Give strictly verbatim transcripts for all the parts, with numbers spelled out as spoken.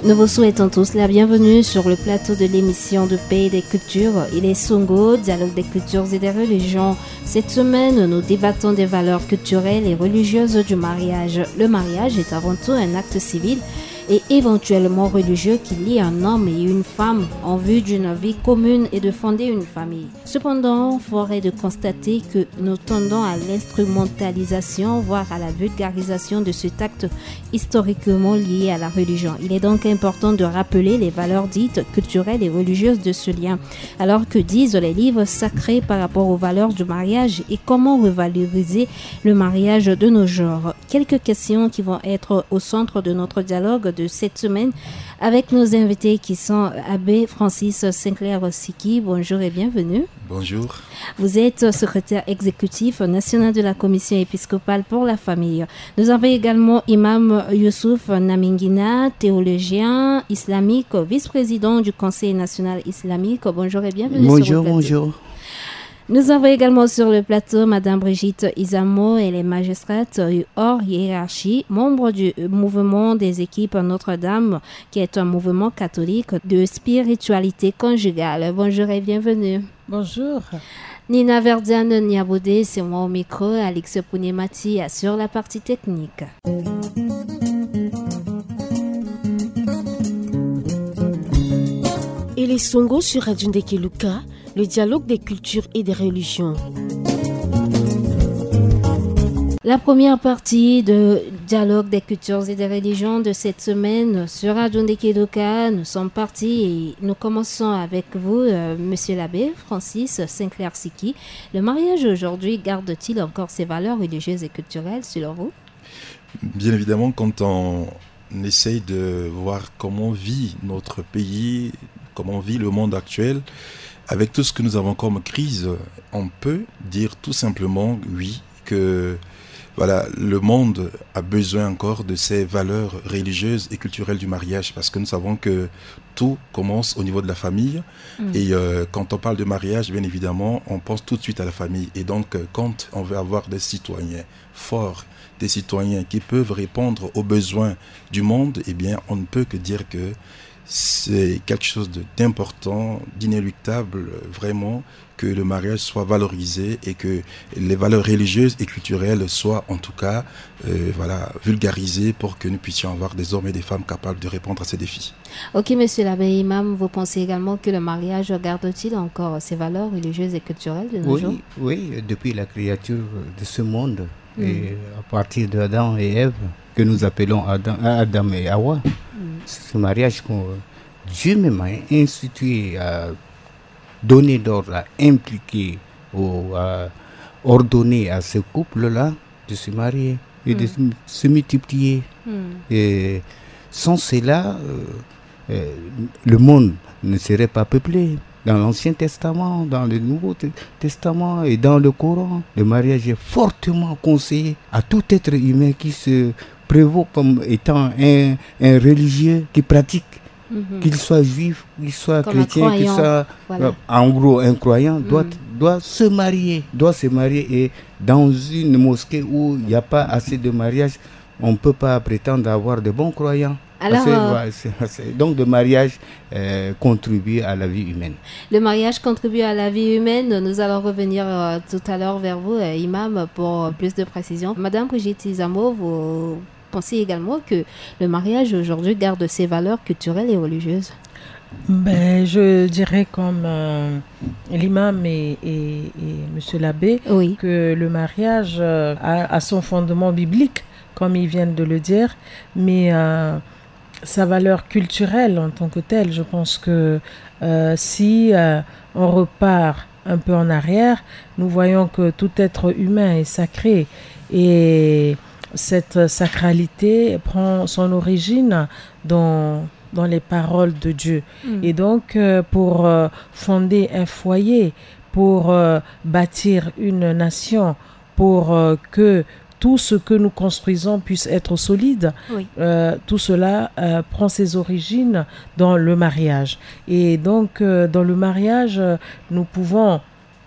Nous vous souhaitons tous la bienvenue sur le plateau de l'émission de Pays des Cultures. Il est Songo, dialogue des cultures et des religions. Cette semaine, nous débattons des valeurs culturelles et religieuses du mariage. Le mariage est avant tout un acte civil et éventuellement religieux qui lie un homme et une femme en vue d'une vie commune et de fonder une famille. Cependant, force est de constater que nous tendons à l'instrumentalisation, voire à la vulgarisation de cet acte historiquement lié à la religion. Il est donc important de rappeler les valeurs dites culturelles et religieuses de ce lien. Alors, que disent les livres sacrés par rapport aux valeurs du mariage et comment revaloriser le mariage de nos jours ? Quelques questions qui vont être au centre de notre dialogue de cette semaine avec nos invités qui sont Abbé Francis Sinclair Siki. Bonjour et bienvenue. Bonjour. Vous êtes secrétaire exécutif national de la Commission épiscopale pour la famille. Nous avons également Imam Youssouf Namingina, théologien islamique, vice-président du Conseil national islamique. Bonjour et bienvenue sur le Bonjour, plateau. Bonjour. Nous avons également sur le plateau Madame Brigitte Izamo, elle est magistrate hors hiérarchie, membre du mouvement des équipes Notre-Dame, qui est un mouvement catholique de spiritualité conjugale. Bonjour et bienvenue. Bonjour. Nina Verdiane Niabodé, c'est moi au micro, Alex Pounemati assure la partie technique. Et les Songo sur Radio Ndeke Luka, le dialogue des cultures et des religions. La première partie de dialogue des cultures et des religions de cette semaine sur Radio Ndeke Luka, nous sommes partis et nous commençons avec vous, euh, Monsieur l'abbé Francis Sinclair Siki. Le mariage aujourd'hui garde-t-il encore ses valeurs religieuses et culturelles selon vous ? Bien évidemment, quand on essaye de voir comment vit notre pays, comment vit le monde actuel, avec tout ce que nous avons comme crise, on peut dire tout simplement oui, que voilà, le monde a besoin encore de ces valeurs religieuses et culturelles du mariage, parce que nous savons que tout commence au niveau de la famille. Mm. Et euh, quand on parle de mariage, bien évidemment, on pense tout de suite à la famille. Et donc, euh, quand on veut avoir des citoyens forts, des citoyens qui peuvent répondre aux besoins du monde, eh bien, on ne peut que dire que c'est quelque chose de, d'important, d'inéluctable, vraiment, que le mariage soit valorisé et que les valeurs religieuses et culturelles soient en tout cas, euh, voilà, vulgarisées pour que nous puissions avoir des hommes et des femmes capables de répondre à ces défis. Ok, monsieur l'abbé Imam, vous pensez également que le mariage garde-t-il encore ses valeurs religieuses et culturelles de nos Oui, jours ? Oui, depuis la créature de ce monde, mm. Et à partir d'Adam et Ève, que nous appelons Adam, Adam et Awa, mm. Ce mariage que Dieu même a institué, a donné d'ordre, a impliqué ou a ordonné à ce couple-là de se marier et mm. de se multiplier. Mm. Et sans cela, euh, euh, le monde ne serait pas peuplé. Dans l'Ancien Testament, dans le Nouveau Testament et dans le Coran, le mariage est fortement conseillé à tout être humain qui se prévaut comme étant un, un religieux qui pratique, mm -hmm. Qu'il soit juif, qu'il soit comme chrétien, qu'il soit voilà. Euh, en gros un croyant, doit, mm. Doit se marier, doit se marier et dans une mosquée où il n'y a pas assez de mariage, on ne peut pas prétendre avoir de bons croyants. Alors, euh, donc le mariage euh, contribue à la vie humaine. Le mariage contribue à la vie humaine. Nous allons revenir euh, tout à l'heure vers vous, euh, Imam, pour plus de précision. Madame Brigitte Izamo, vous pensez également que le mariage aujourd'hui garde ses valeurs culturelles et religieuses ? Ben, je dirais comme euh, l'imam et, et, et monsieur l'abbé, oui. Que le mariage euh, a, a son fondement biblique, comme ils viennent de le dire, mais euh, sa valeur culturelle en tant que telle. Je pense que euh, si euh, on repart un peu en arrière, nous voyons que tout être humain est sacré et cette sacralité prend son origine dans, dans les paroles de Dieu. Mm. Et donc, euh, pour euh, fonder un foyer, pour euh, bâtir une nation, pour euh, que tout ce que nous construisons puisse être solide, oui. Euh, tout cela euh, prend ses origines dans le mariage. Et donc, euh, dans le mariage, euh, nous pouvons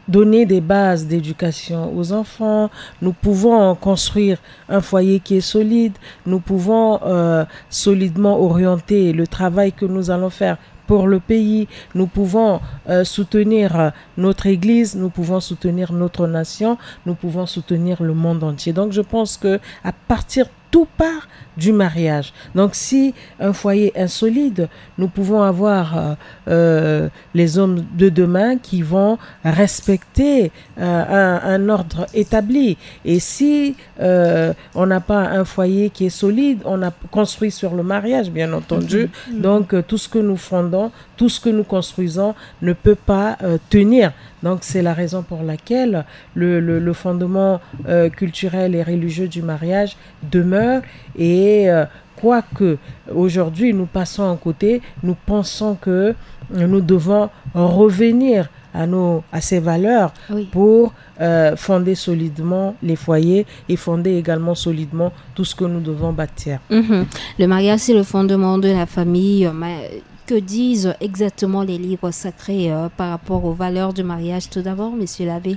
donner des bases d'éducation aux enfants, nous pouvons construire un foyer qui est solide, nous pouvons euh, solidement orienter le travail que nous allons faire pour le pays, nous pouvons euh, soutenir euh, notre église, nous pouvons soutenir notre nation, nous pouvons soutenir le monde entier. Donc je pense que à partir tout part du mariage. Donc si un foyer est solide, nous pouvons avoir euh, euh, les hommes de demain qui vont respecter euh, un, un ordre établi. Et si euh, on n'a pas un foyer qui est solide, on a construit sur le mariage, bien entendu. Donc euh, tout ce que nous fondons, tout ce que nous construisons ne peut pas euh, tenir. Donc c'est la raison pour laquelle le, le, le fondement euh, culturel et religieux du mariage demeure. Et euh, quoique aujourd'hui nous passons à côté, nous pensons que nous devons revenir à nos, à ces valeurs Oui. pour euh, fonder solidement les foyers et fonder également solidement tout ce que nous devons bâtir. Mhm. Le mariage, c'est le fondement de la famille. Mais que disent exactement les livres sacrés euh, par rapport aux valeurs du mariage, tout d'abord, monsieur l'abbé ?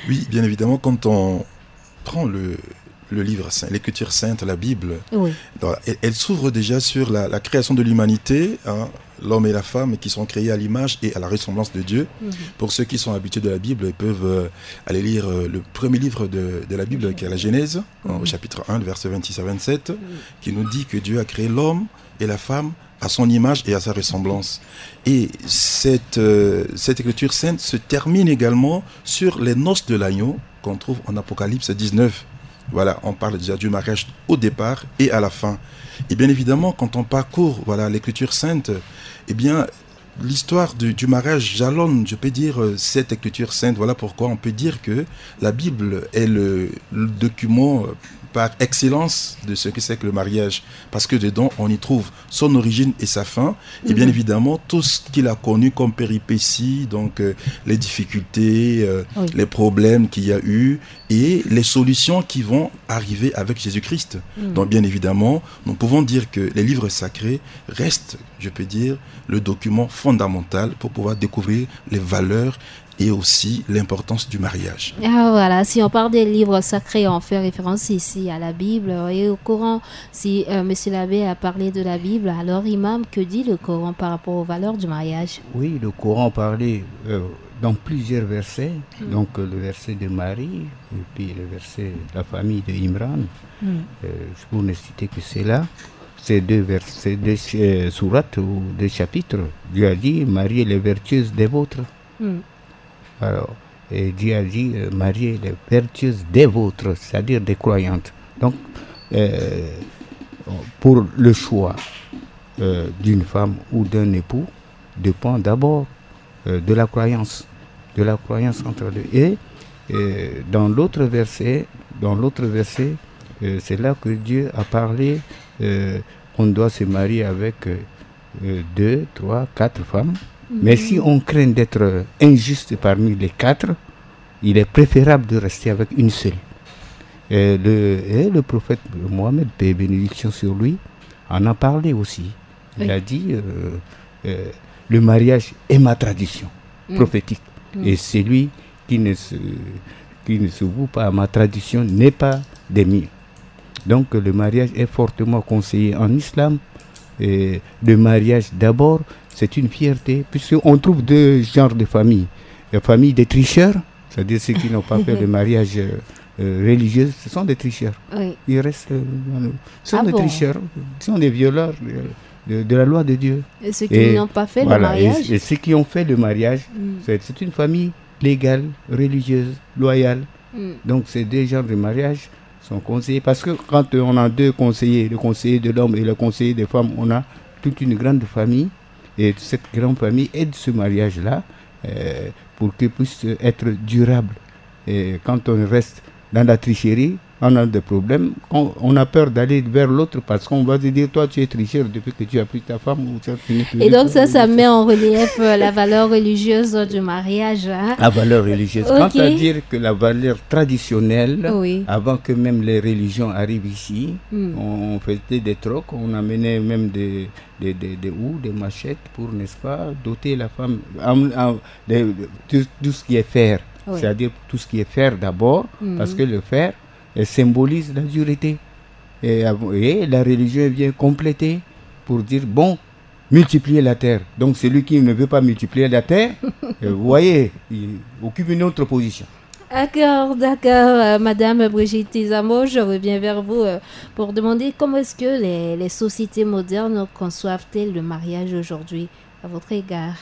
Oui, bien évidemment, quand on prend le, le livre saint, l'Écriture sainte, la Bible, Oui. donc, elle, elle s'ouvre déjà sur la, la création de l'humanité, hein, l'homme et la femme qui sont créés à l'image et à la ressemblance de Dieu. Mhm. Pour ceux qui sont habitués de la Bible, ils peuvent euh, aller lire euh, le premier livre de, de la Bible, qui est la Genèse, hein, au chapitre un, le verset vingt-six à vingt-sept, qui nous dit que Dieu a créé l'homme et la femme à son image et à sa ressemblance. Et cette, euh, cette écriture sainte se termine également sur les noces de l'agneau qu'on trouve en Apocalypse dix-neuf. Voilà, on parle déjà du mariage au départ et à la fin. Et bien évidemment, quand on parcourt, voilà, l'écriture sainte, eh bien, l'histoire du, du mariage jalonne, je peux dire, euh, cette écriture sainte. Voilà pourquoi on peut dire que la Bible est le, le document euh, par excellence de ce que c'est que le mariage. Parce que dedans, on y trouve son origine et sa fin. Et bien évidemment, tout ce qu'il a connu comme péripéties, donc euh, les difficultés, euh, Oui. les problèmes qu'il y a eu et les solutions qui vont arriver avec Jésus-Christ. Donc bien évidemment, nous pouvons dire que les livres sacrés restent, je peux dire, le document fondamental pour pouvoir découvrir les valeurs et aussi l'importance du mariage. Ah, voilà, si on parle des livres sacrés, on fait référence ici à la Bible. Et au Coran, si euh, monsieur l'abbé a parlé de la Bible, alors imam, que dit le Coran par rapport aux valeurs du mariage ? Oui, le Coran parlait euh, dans plusieurs versets, donc euh, le verset de Marie, et puis le verset de la famille de Imran. Euh, je pourrais ne citer que cela. Ces deux versets, ces deux euh, sourates ou deux chapitres, Dieu a dit, mariez les vertueuses des vôtres. Alors, et Dieu a dit, euh, mariez les vertueuses des vôtres, c'est-à-dire des croyantes. Donc, euh, pour le choix euh, d'une femme ou d'un époux dépend d'abord euh, de la croyance, de la croyance entre les deux. Et euh, dans l'autre verset, dans l'autre verset, euh, c'est là que Dieu a parlé euh, qu'on doit se marier avec euh, euh, deux, trois, quatre femmes. Mais si on craint d'être injuste parmi les quatre, il est préférable de rester avec une seule. Et le, et le prophète Mohammed, paix et bénédiction sur lui, en a parlé aussi. Il Oui. a dit, euh, euh, le mariage est ma tradition prophétique. Et celui qui ne se, qui ne se voue pas à ma tradition n'est pas des miens. Donc le mariage est fortement conseillé en islam. Et le mariage d'abord, c'est une fierté, puisqu'on trouve deux genres de familles. La famille des tricheurs, c'est-à-dire ceux qui n'ont pas fait de mariage euh, religieux, ce sont des tricheurs. Oui. Ils restent, euh, dans le- ce sont Ah des bon tricheurs, ce sont des violeurs de, de- de la loi de Dieu. Et ceux qui Et n'ont pas fait voilà, le mariage et, et ceux qui ont fait le mariage, Mm. c'est c'est une famille légale, religieuse, loyale. Mm. Donc ces deux genres de mariage sont conseillés parce que quand on a deux conseillers, le conseiller de l'homme et le conseiller des femmes, on a toute une grande famille et cette grande famille aide ce mariage-là euh, pour qu'il puisse être durable. Et quand on reste dans la tricherie, on a des problèmes. On, on a peur d'aller vers l'autre parce qu'on va se dire, toi tu es tricheur depuis que tu as pris ta femme. Ou tu as fini Et donc ça, ça met en relief euh, la valeur religieuse du mariage. Hein. La valeur religieuse. Ok. Quant à dire que la valeur traditionnelle, Oui. avant que même les religions arrivent ici, Hmm. on, on faisait des trocs, on amenait même des, des, des, des houes, des machettes pour, n'est-ce pas, doter la femme, en- en- des- tout, tout ce qui est fer. Oui. C'est-à-dire tout ce qui est fer d'abord, parce que le fer, elle symbolise la dureté. Et, et la religion vient compléter pour dire, bon, multiplier la terre. Donc celui qui ne veut pas multiplier la terre, euh, vous voyez, il occupe une autre position. D'accord, d'accord. Euh, Madame Brigitte Tizamo, je reviens vers vous, euh, pour demander comment est-ce que les, les sociétés modernes conçoivent-elles le mariage aujourd'hui, à votre égard ?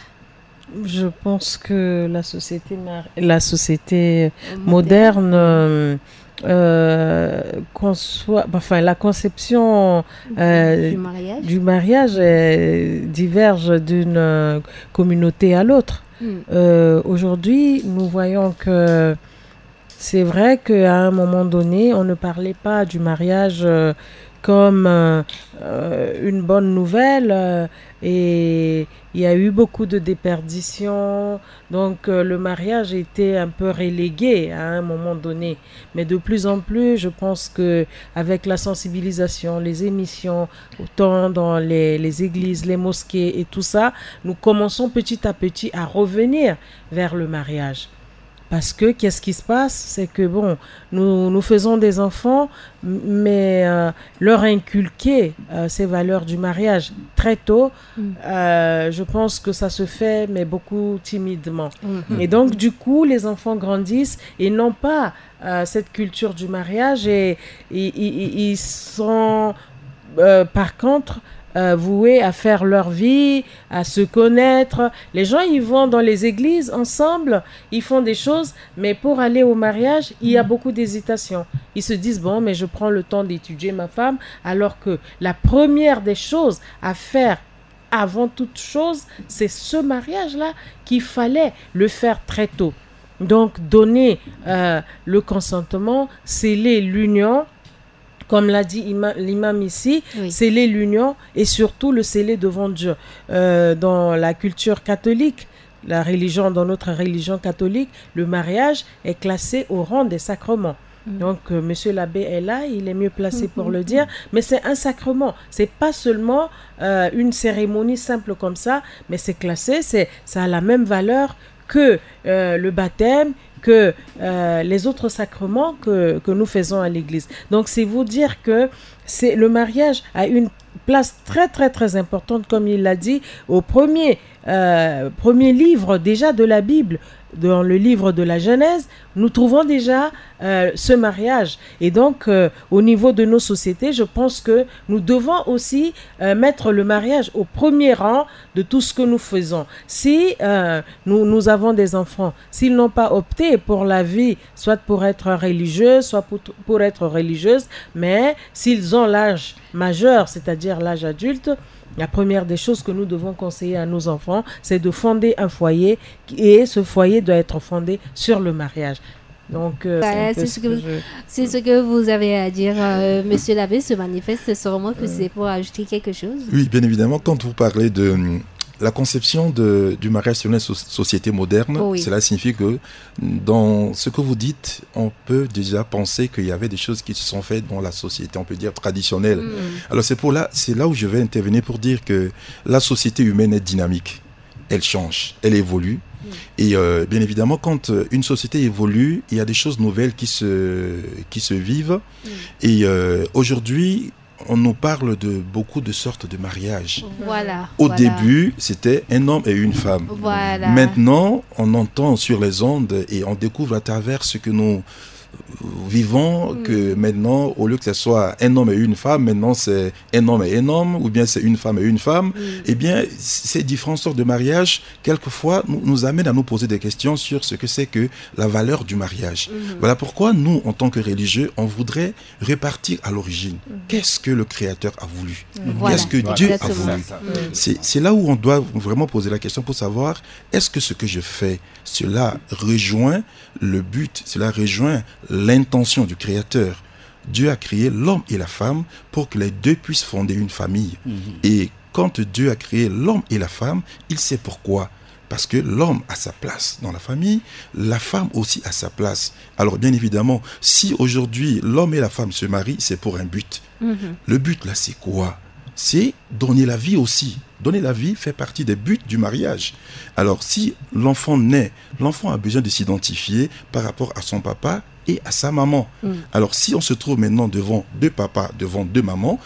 Je pense que la société, mar- la société moderne, euh, euh, conçoit, enfin, la conception, euh, du mariage, du mariage, euh, diverge d'une, euh, communauté à l'autre. Euh, aujourd'hui, nous voyons que c'est vrai qu'à un moment donné, on ne parlait pas du mariage, euh, comme, euh, euh, une bonne nouvelle, euh, et il y a eu beaucoup de déperditions. Donc, euh, le mariage était un peu relégué à un moment donné. Mais de plus en plus, je pense que avec la sensibilisation, les émissions, autant dans les, les églises, les mosquées et tout ça, nous commençons petit à petit à revenir vers le mariage. Parce que qu'est-ce qui se passe ? C'est que, bon, nous, nous faisons des enfants, m- mais, euh, leur inculquer, euh, ces valeurs du mariage très tôt, euh, je pense que ça se fait, mais beaucoup timidement. Et donc, du coup, les enfants grandissent et n'ont pas, euh, cette culture du mariage et ils, ils- ils- ils sont, euh, par contre, euh, voués à faire leur vie, à se connaître. Les gens, ils vont dans les églises ensemble, ils font des choses, mais pour aller au mariage, il y a beaucoup d'hésitation. Ils se disent, bon, mais je prends le temps d'étudier ma femme, alors que la première des choses à faire avant toute chose, c'est ce mariage-là qu'il fallait le faire très tôt. Donc, donner, euh, le consentement, sceller l'union, comme l'a dit ima- l'imam ici, oui, sceller l'union et surtout le sceller devant Dieu. Euh, dans la culture catholique, la religion, dans notre religion catholique, le mariage est classé au rang des sacrements. Donc, euh, monsieur l'abbé est là, il est mieux placé pour le dire, mais c'est un sacrement. C'est pas seulement, euh, une cérémonie simple comme ça, mais c'est classé, c'est, ça a la même valeur que, euh, le baptême, que, euh, les autres sacrements que, que nous faisons à l'église. Donc, c'est vous dire que c'est, le mariage a une place très, très, très importante, comme il l'a dit, au premier, euh, premier livre déjà de la Bible, dans le livre de la Genèse, nous trouvons déjà, euh, ce mariage. Et donc, euh, au niveau de nos sociétés, je pense que nous devons aussi, euh, mettre le mariage au premier rang de tout ce que nous faisons. Si, euh, nous, nous avons des enfants, s'ils n'ont pas opté pour la vie, soit pour être religieux, soit pour, pour être religieuse, mais s'ils ont l'âge majeur, c'est-à-dire l'âge adulte, la première des choses que nous devons conseiller à nos enfants, c'est de fonder un foyer, et ce foyer doit être fondé sur le mariage. Donc, euh, c'est un peu ce que vous avez à dire, euh, monsieur l'abbé se manifeste sûrement que c'est pour ajouter quelque chose. Oui, bien évidemment, quand vous parlez de, hum, la conception de, du mariage selon la so- société moderne, cela signifie que dans ce que vous dites, on peut déjà penser qu'il y avait des choses qui se sont faites dans la société, on peut dire traditionnelle. Alors c'est pour là, c'est là où je vais intervenir pour dire que la société humaine est dynamique. Elle change, elle évolue. Et, euh, bien évidemment, quand, euh, une société évolue, il y a des choses nouvelles qui se, qui se vivent. Et, euh, aujourd'hui, on nous parle de beaucoup de sortes de mariages. Au début, c'était un homme et une femme. Maintenant, on entend sur les ondes et on découvre à travers ce que nous vivons que maintenant, au lieu que ce soit un homme et une femme, maintenant c'est un homme et un homme, ou bien c'est une femme et une femme. Eh bien, ces différentes sortes de mariages, quelquefois, nous, nous amènent à nous poser des questions sur ce que c'est que la valeur du mariage. Voilà pourquoi nous, en tant que religieux, on voudrait repartir à l'origine. Qu'est-ce que le Créateur a voulu ? Qu'est-ce que Dieu a voulu ? C'est, c'est là où on doit vraiment poser la question pour savoir, est-ce que ce que je fais, cela rejoint le but, cela rejoint l'intention du Créateur ? Dieu a créé l'homme et la femme pour que les deux puissent fonder une famille. Et quand Dieu a créé l'homme et la femme, il sait pourquoi. Parce que l'homme a sa place dans la famille, la femme aussi a sa place. Alors bien évidemment, si aujourd'hui l'homme et la femme se marient, c'est pour un but. Le but là, c'est quoi ? c'est donner la vie aussi. Donner la vie fait partie des buts du mariage. Alors, si l'enfant naît, l'enfant a besoin de s'identifier par rapport à son papa et à sa maman. Alors, si on se trouve maintenant devant deux papas, devant deux mamans,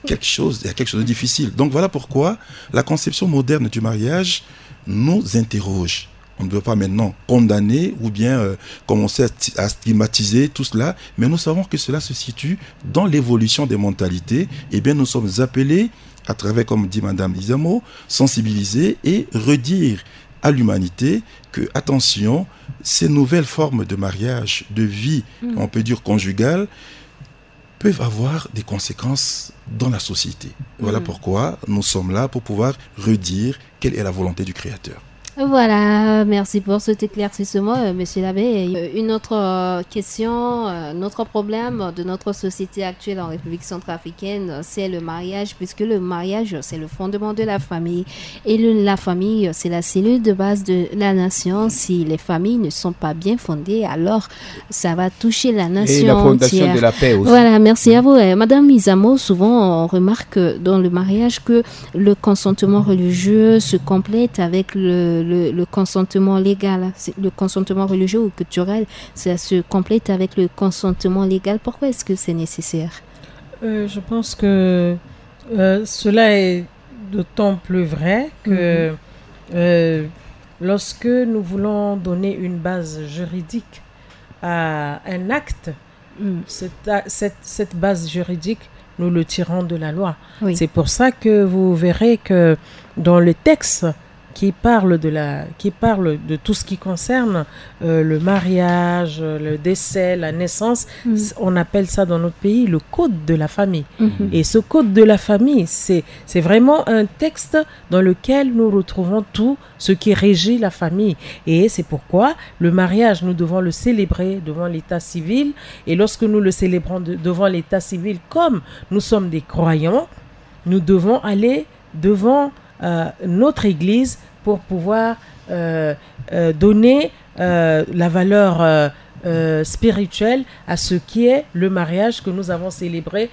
quelque chose, il y a quelque chose de difficile. Donc, voilà pourquoi la conception moderne du mariage nous interroge. On ne peut pas maintenant condamner ou bien, euh, commencer à sti-, à stigmatiser tout cela, mais nous savons que cela se situe dans l'évolution des mentalités. Eh bien, nous sommes appelés, à travers, comme dit Madame Izamo, sensibiliser et redire à l'humanité que, attention, ces nouvelles formes de mariage, de vie, on peut dire conjugale, peuvent avoir des conséquences dans la société. Voilà pourquoi nous sommes là, pour pouvoir redire quelle est la volonté du Créateur. Voilà, merci pour cet éclaircissement, euh, monsieur l'abbé. Euh, une autre, euh, question, euh, notre problème de notre société actuelle en République centrafricaine, euh, c'est le mariage, puisque le mariage, c'est le fondement de la famille. Et le- la famille, euh, c'est la cellule de base de la nation. Si les familles ne sont pas bien fondées, alors ça va toucher la nation Et la fondation entière. De la paix aussi. Voilà, merci à vous. Euh, Madame Izamo, souvent on remarque, euh, dans le mariage que le consentement religieux se complète avec le, le- le consentement légal. C'est le consentement religieux ou culturel, ça se complète avec le consentement légal. Pourquoi est-ce que c'est nécessaire ? Euh, je pense que, euh, cela est d'autant plus vrai que, euh, lorsque nous voulons donner une base juridique à un acte, cette, cette, cette base juridique, nous le tirons de la loi. Oui. C'est pour ça que vous verrez que dans le texte qui parle de la, qui parle de tout ce qui concerne, euh, le mariage, le décès, la naissance, on appelle ça dans notre pays le code de la famille. Et ce code de la famille, c'est, c'est vraiment un texte dans lequel nous retrouvons tout ce qui régit la famille. Et c'est pourquoi le mariage, nous devons le célébrer devant l'état civil. Et lorsque nous le célébrons de- devant l'état civil, comme nous sommes des croyants, nous devons aller devant, euh, notre église pour pouvoir, euh, euh, donner, euh, la valeur, euh, euh, spirituelle à ce qui est le mariage que nous avons célébré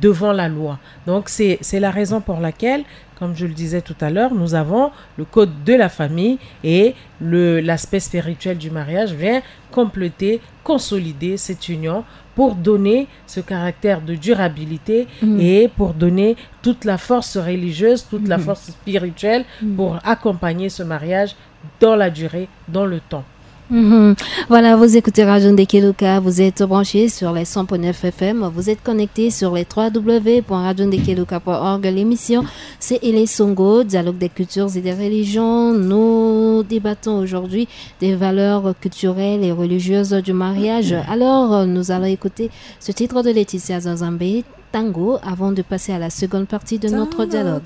devant la loi. Donc c'est, c'est la raison pour laquelle, comme je le disais tout à l'heure, nous avons le code de la famille et le, l'aspect spirituel du mariage vient compléter, consolider cette union pour donner ce caractère de durabilité et pour donner toute la force religieuse, toute la force spirituelle pour accompagner ce mariage dans la durée, dans le temps. Mhm. Voilà, vous écoutez Radio Ndekeluka, vous êtes branchés sur les cent point neuf F M, vous êtes connectés sur les trois W point radio ndekeluka point org. L'émission, c'est Ele Songo, dialogue des cultures et des religions. Nous débattons aujourd'hui des valeurs culturelles et religieuses du mariage. Alors, euh, nous allons écouter ce titre de Laetitia Zanzambe, Tango, avant de passer à la seconde partie de notre dialogue.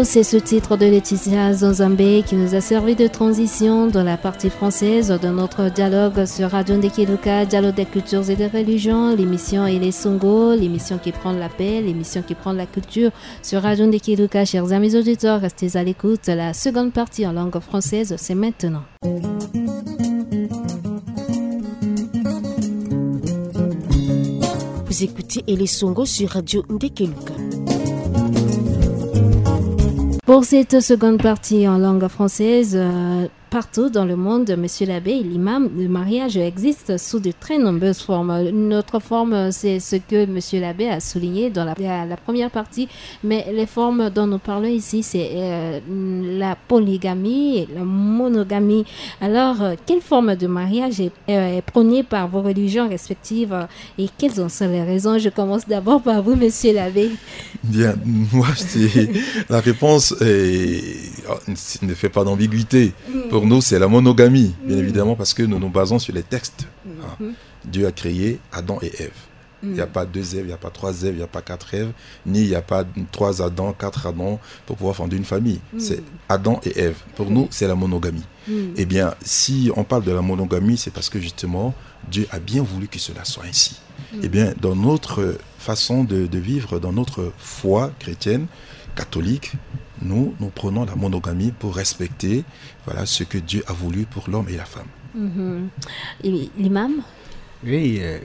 C'est ce titre de Laetitia Zonzambe qui nous a servi de transition dans la partie française de notre dialogue sur Radio Ndekeluka, dialogue des cultures et des religions. L'émission est les Songo, l'émission qui prend la paix, l'émission qui prend la culture sur Radio Ndekeluka. Chers amis auditeurs, restez à l'écoute. La seconde partie en langue française, c'est maintenant. Vous écoutez Elesongo sur Radio Ndekeluka. Pour cette seconde partie en langue française, euh, partout dans le monde, monsieur l'abbé, l'imam, le mariage existe sous de très nombreuses formes. Une autre forme, c'est ce que monsieur l'abbé a souligné dans la, la première partie, mais les formes dont nous parlons ici, c'est euh, la polygamie et la monogamie. Alors, euh, quelle forme de mariage est, euh, est prônée par vos religions respectives, euh, et quelles en sont les raisons ? Je commence d'abord par vous, monsieur l'abbé. Bien, moi, c'est la réponse est, ne fait pas d'ambiguïté. Pour nous, c'est la monogamie, bien évidemment, parce que nous nous basons sur les textes. Hein. Dieu a créé Adam et Ève. Il n'y a pas deux Èves, il n'y a pas trois Èves, il n'y a pas quatre Èves, ni il n'y a pas trois Adam, quatre Adam pour pouvoir fonder une famille. C'est Adam et Ève. Pour nous, c'est la monogamie. Eh bien, si on parle de la monogamie, c'est parce que justement, Dieu a bien voulu que cela soit ainsi. Eh bien, dans notre façon de, de vivre, dans notre foi chrétienne, catholique, nous, nous prenons la monogamie pour respecter, voilà, ce que Dieu a voulu pour l'homme et la femme. Mhm. Et l'imam ? Oui, euh,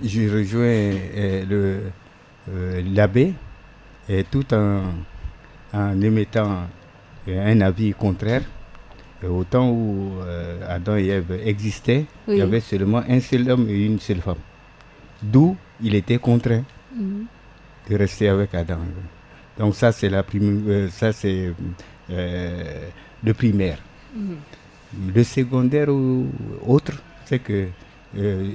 je rejoins euh, le, euh, l'abbé, et tout en, en émettant euh, un avis contraire. Euh, au temps où euh, Adam et Ève existaient, il y avait seulement un seul homme et une seule femme. D'où il était contraint de rester avec Adam. Donc ça, c'est la prim-, euh, ça, c'est euh, le primaire. Le secondaire ou autre, c'est que euh, euh,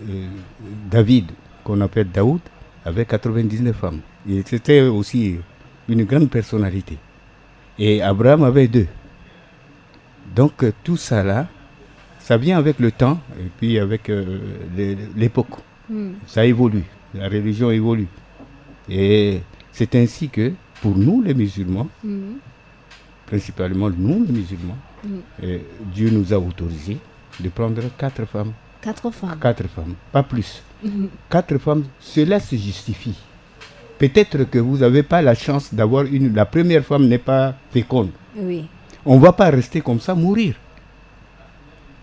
David, qu'on appelle Daoud, avait quatre-vingt-dix-neuf femmes. Et c'était aussi une grande personnalité. Et Abraham avait deux. Donc euh, tout ça là, ça vient avec le temps et puis avec euh, les- l'époque. Ça évolue, la religion évolue. Et c'est ainsi que, pour nous les musulmans, principalement nous les musulmans, euh, Dieu nous a autorisé de prendre quatre femmes. Quatre femmes. Quatre femmes, pas plus. Quatre femmes, cela se justifie. Peut-être que vous n'avez pas la chance d'avoir une. La première femme n'est pas féconde. Oui. On ne va pas rester comme ça, mourir.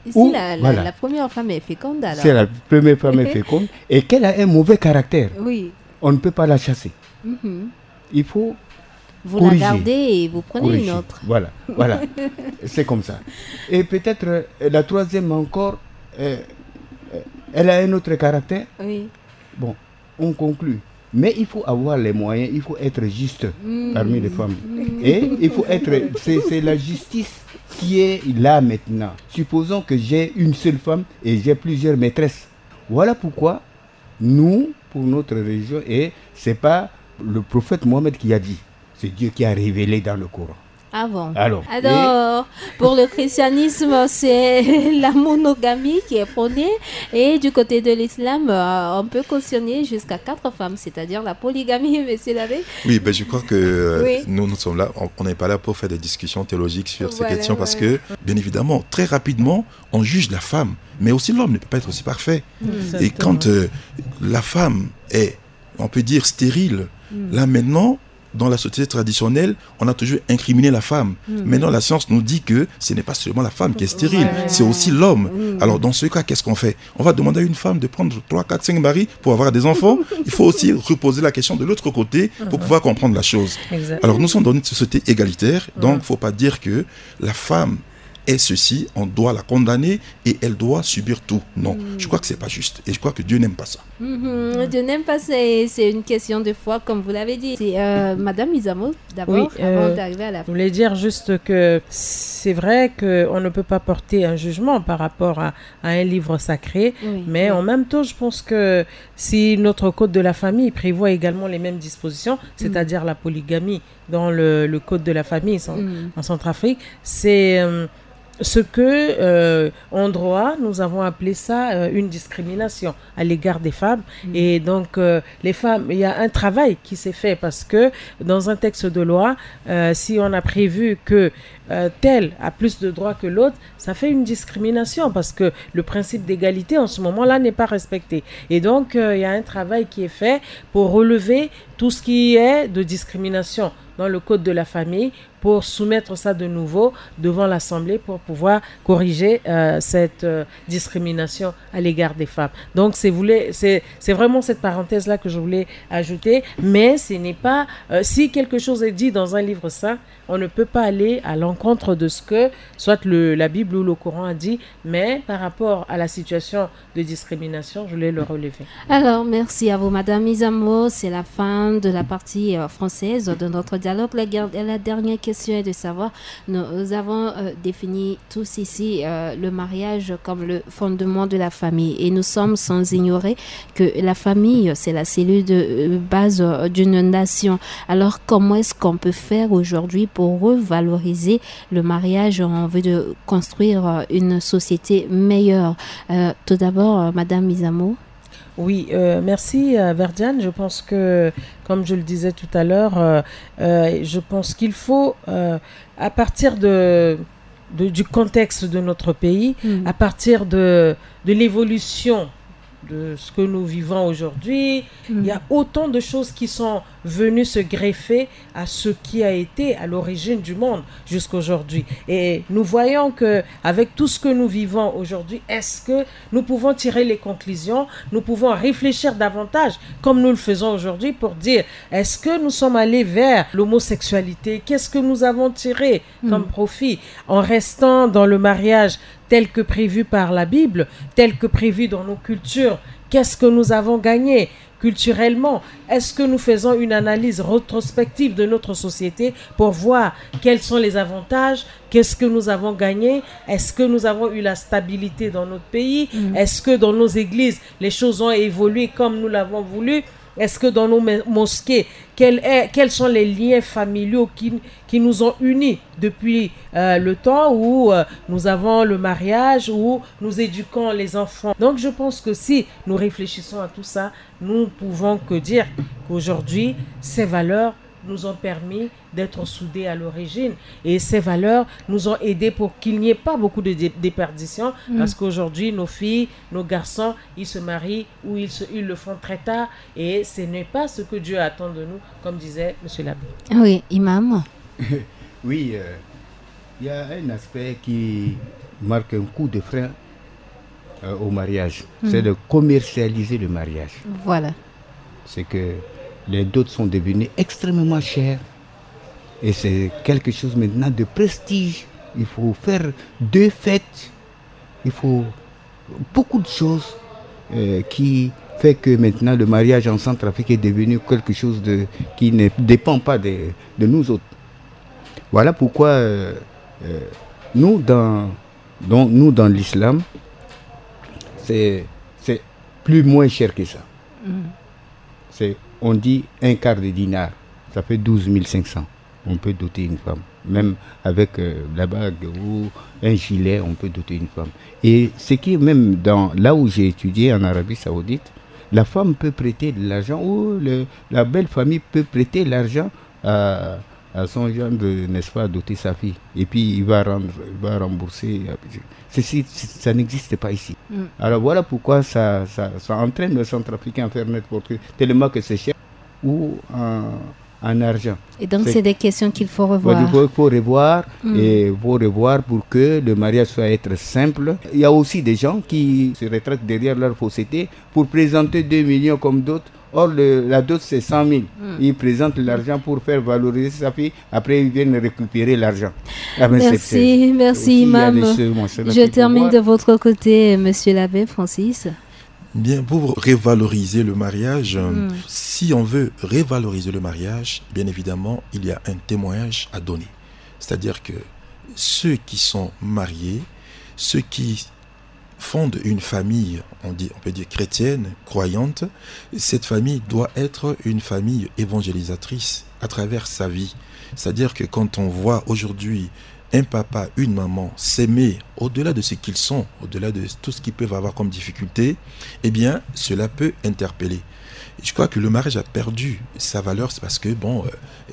Ici, la, la première femme est féconde, alors. C'est la première femme est féconde et qu'elle a un mauvais caractère. Oui. On ne peut pas la chasser. Il faut vous la gardez et vous prenez une autre. Voilà, voilà. C'est comme ça. Et peut-être euh, la troisième encore, euh, euh, elle a un autre caractère. Oui. Bon, on conclut. Mais il faut avoir les moyens, il faut être juste parmi les femmes. Et il faut être, c'est c'est la justice qui est là maintenant. Supposons que j'ai une seule femme et j'ai plusieurs maîtresses. Voilà pourquoi nous, pour notre religion, et c'est pas le prophète Mohammed qui a dit, c'est Dieu qui a révélé dans le Coran. Ah bon ? Alors, pour le christianisme, c'est la monogamie qui est prônée. Et du côté de l'islam, euh, on peut cautionner jusqu'à quatre femmes, c'est-à-dire la polygamie, monsieur l'abbé. Oui, ben je crois que euh, nous, nous sommes là, on on n'est pas là pour faire des discussions théologiques sur ces questions parce que, bien évidemment, très rapidement, on juge la femme, mais aussi l'homme ne peut pas être aussi parfait. Et quand euh, la femme est, on peut dire, stérile, là maintenant, dans la société traditionnelle, on a toujours incriminé la femme. Maintenant, la science nous dit que ce n'est pas seulement la femme qui est stérile, c'est aussi l'homme. Alors, dans ce cas, qu'est-ce qu'on fait ? On va demander à une femme de prendre trois, quatre, cinq maris pour avoir des enfants. Il faut aussi reposer la question de l'autre côté pour pouvoir comprendre la chose. Alors, nous sommes dans une société égalitaire, donc il ne faut pas dire que la femme est ceci, on doit la condamner et elle doit subir tout. Non, je crois que c'est pas juste. Et je crois que Dieu n'aime pas ça. Mhm. Dieu n'aime pas ça et c'est une question de foi, comme vous l'avez dit. C'est euh, Madame Izamo, d'abord, avant d'arriver à la... Je voulais dire juste que c'est vrai qu'on ne peut pas porter un jugement par rapport à, à un livre sacré, mais en même temps, je pense que si notre code de la famille prévoit également les mêmes dispositions, c'est-à-dire la polygamie, dans le, le code de la famille en Centrafrique, c'est euh, ce que, euh, en droit, nous avons appelé ça, euh, une discrimination à l'égard des femmes. Mm. Et donc, euh, les femmes, il y a un travail qui s'est fait parce que dans un texte de loi, euh, si on a prévu que, euh, tel a plus de droits que l'autre, ça fait une discrimination parce que le principe d'égalité en ce moment-là n'est pas respecté. Et donc, euh, il y a un travail qui est fait pour relever tout ce qui est de discrimination dans le code de la famille, pour soumettre ça de nouveau devant l'Assemblée pour pouvoir corriger, euh, cette, euh, discrimination à l'égard des femmes. Donc, c'est voulait- c'est c'est vraiment cette parenthèse-là que je voulais ajouter, mais ce n'est pas, euh, si quelque chose est dit dans un livre saint, on ne peut pas aller à l'encontre de ce que soit le, la Bible ou le Coran a dit, mais par rapport à la situation de discrimination, je voulais le relever. Alors, merci à vous, Madame Izamo. C'est la fin de la partie, euh, française de notre dialogue. La, guer- la dernière question est de savoir, nous, nous avons, euh, défini tous ici, euh, le mariage comme le fondement de la famille. Et nous sommes sans ignorer que la famille, c'est la cellule de, euh, base, euh, d'une nation. Alors, comment est-ce qu'on peut faire aujourd'hui pour revaloriser le mariage en vue de construire, euh, une société meilleure ? Euh, tout d'abord, euh, Madame Izamo. Oui, euh, merci, euh, Verdiane. Je pense que, comme je le disais tout à l'heure, euh, euh, je pense qu'il faut, euh, à partir de, de- du contexte de notre pays, à partir de, de l'évolution de ce que nous vivons aujourd'hui, il y a autant de choses qui sont venues se greffer à ce qui a été à l'origine du monde jusqu'aujourd'hui. Et nous voyons que, avec tout ce que nous vivons aujourd'hui, est-ce que nous pouvons tirer les conclusions, nous pouvons réfléchir davantage, comme nous le faisons aujourd'hui, pour dire, est-ce que nous sommes allés vers l'homosexualité ? Qu'est-ce que nous avons tiré comme profit en restant dans le mariage tel que prévu par la Bible, tel que prévu dans nos cultures ? Qu'est-ce que nous avons gagné culturellement ? Est-ce que nous faisons une analyse rétrospective de notre société pour voir quels sont les avantages, qu'est-ce que nous avons gagné ? Est-ce que nous avons eu la stabilité dans notre pays ? Est-ce que dans nos églises, les choses ont évolué comme nous l'avons voulu ? Est-ce que dans nos mo- mosquées, quel est- quels sont les liens familiaux qui, qui nous ont unis depuis, euh, le temps où, euh, nous avons le mariage, où nous éduquons les enfants ? Donc, je pense que si nous réfléchissons à tout ça, nous ne pouvons que dire qu'aujourd'hui, ces valeurs nous ont permis d'être soudés à l'origine. Et ces valeurs nous ont aidés pour qu'il n'y ait pas beaucoup de dé- déperditions, parce qu'aujourd'hui, nos filles, nos garçons, ils se marient ou ils, se- ils le font très tard. Et ce n'est pas ce que Dieu attend de nous, comme disait Monsieur l'abbé. Oui, imam. Oui, euh, il y a un aspect qui marque un coup de frein, euh, au mariage. C'est de commercialiser le mariage. Voilà. C'est que les dots sont devenus extrêmement chers et c'est quelque chose maintenant de prestige. Il faut faire deux fêtes, il faut beaucoup de choses, euh, qui fait que maintenant le mariage en Centrafrique est devenu quelque chose de, qui ne dépend pas de, de nous autres. Voilà pourquoi, euh, euh, nous, dans, donc, nous, dans l'islam, c'est, c'est plus moins cher que ça. C'est, on dit un quart de dinar, ça fait douze mille cinq cents. On peut doter une femme. Même avec, euh, la bague ou un gilet, on peut doter une femme. Et ce qui est même dans, là où j'ai étudié en Arabie Saoudite, la femme peut prêter de l'argent ou le- la belle famille peut prêter l'argent à, à son gendre, n'est-ce pas, à doter sa fille. Et puis il va rendre, il va rembourser. Ceci, ça n'existe pas ici. Alors voilà pourquoi ça, ça, ça entraîne le Centrafricain à faire n'importe quoi, tellement que c'est cher ou en, en argent. Et donc, c'est des questions qu'il faut revoir. Il faut, faut revoir et faut revoir pour que le mariage soit être simple. Il y a aussi des gens qui se retraitent derrière leur fausseté pour présenter deux millions comme dot. Or, le- la dot, c'est cent mille. Ils présentent l'argent pour faire valoriser sa fille. Après, ils viennent récupérer l'argent. Ah, mais c'est- Merci, c'est- merci, aussi, il y a imam. Des choses, moi, c'est là qu'il faut voir. Je termine de votre côté, monsieur l'abbé Francis. Bien, pour revaloriser le mariage, euh, si on veut revaloriser le mariage, bien évidemment, il y a un témoignage à donner. C'est-à-dire que ceux qui sont mariés, ceux qui fondent une famille, on dit, on peut dire chrétienne, croyante, cette famille doit être une famille évangélisatrice à travers sa vie. C'est-à-dire que quand on voit aujourd'hui un papa, une maman s'aimer au-delà de ce qu'ils sont, au-delà de tout ce qu'ils peuvent avoir comme difficulté, eh bien, cela peut interpeller. Je crois que le mariage a perdu sa valeur, c'est parce que, bon, euh,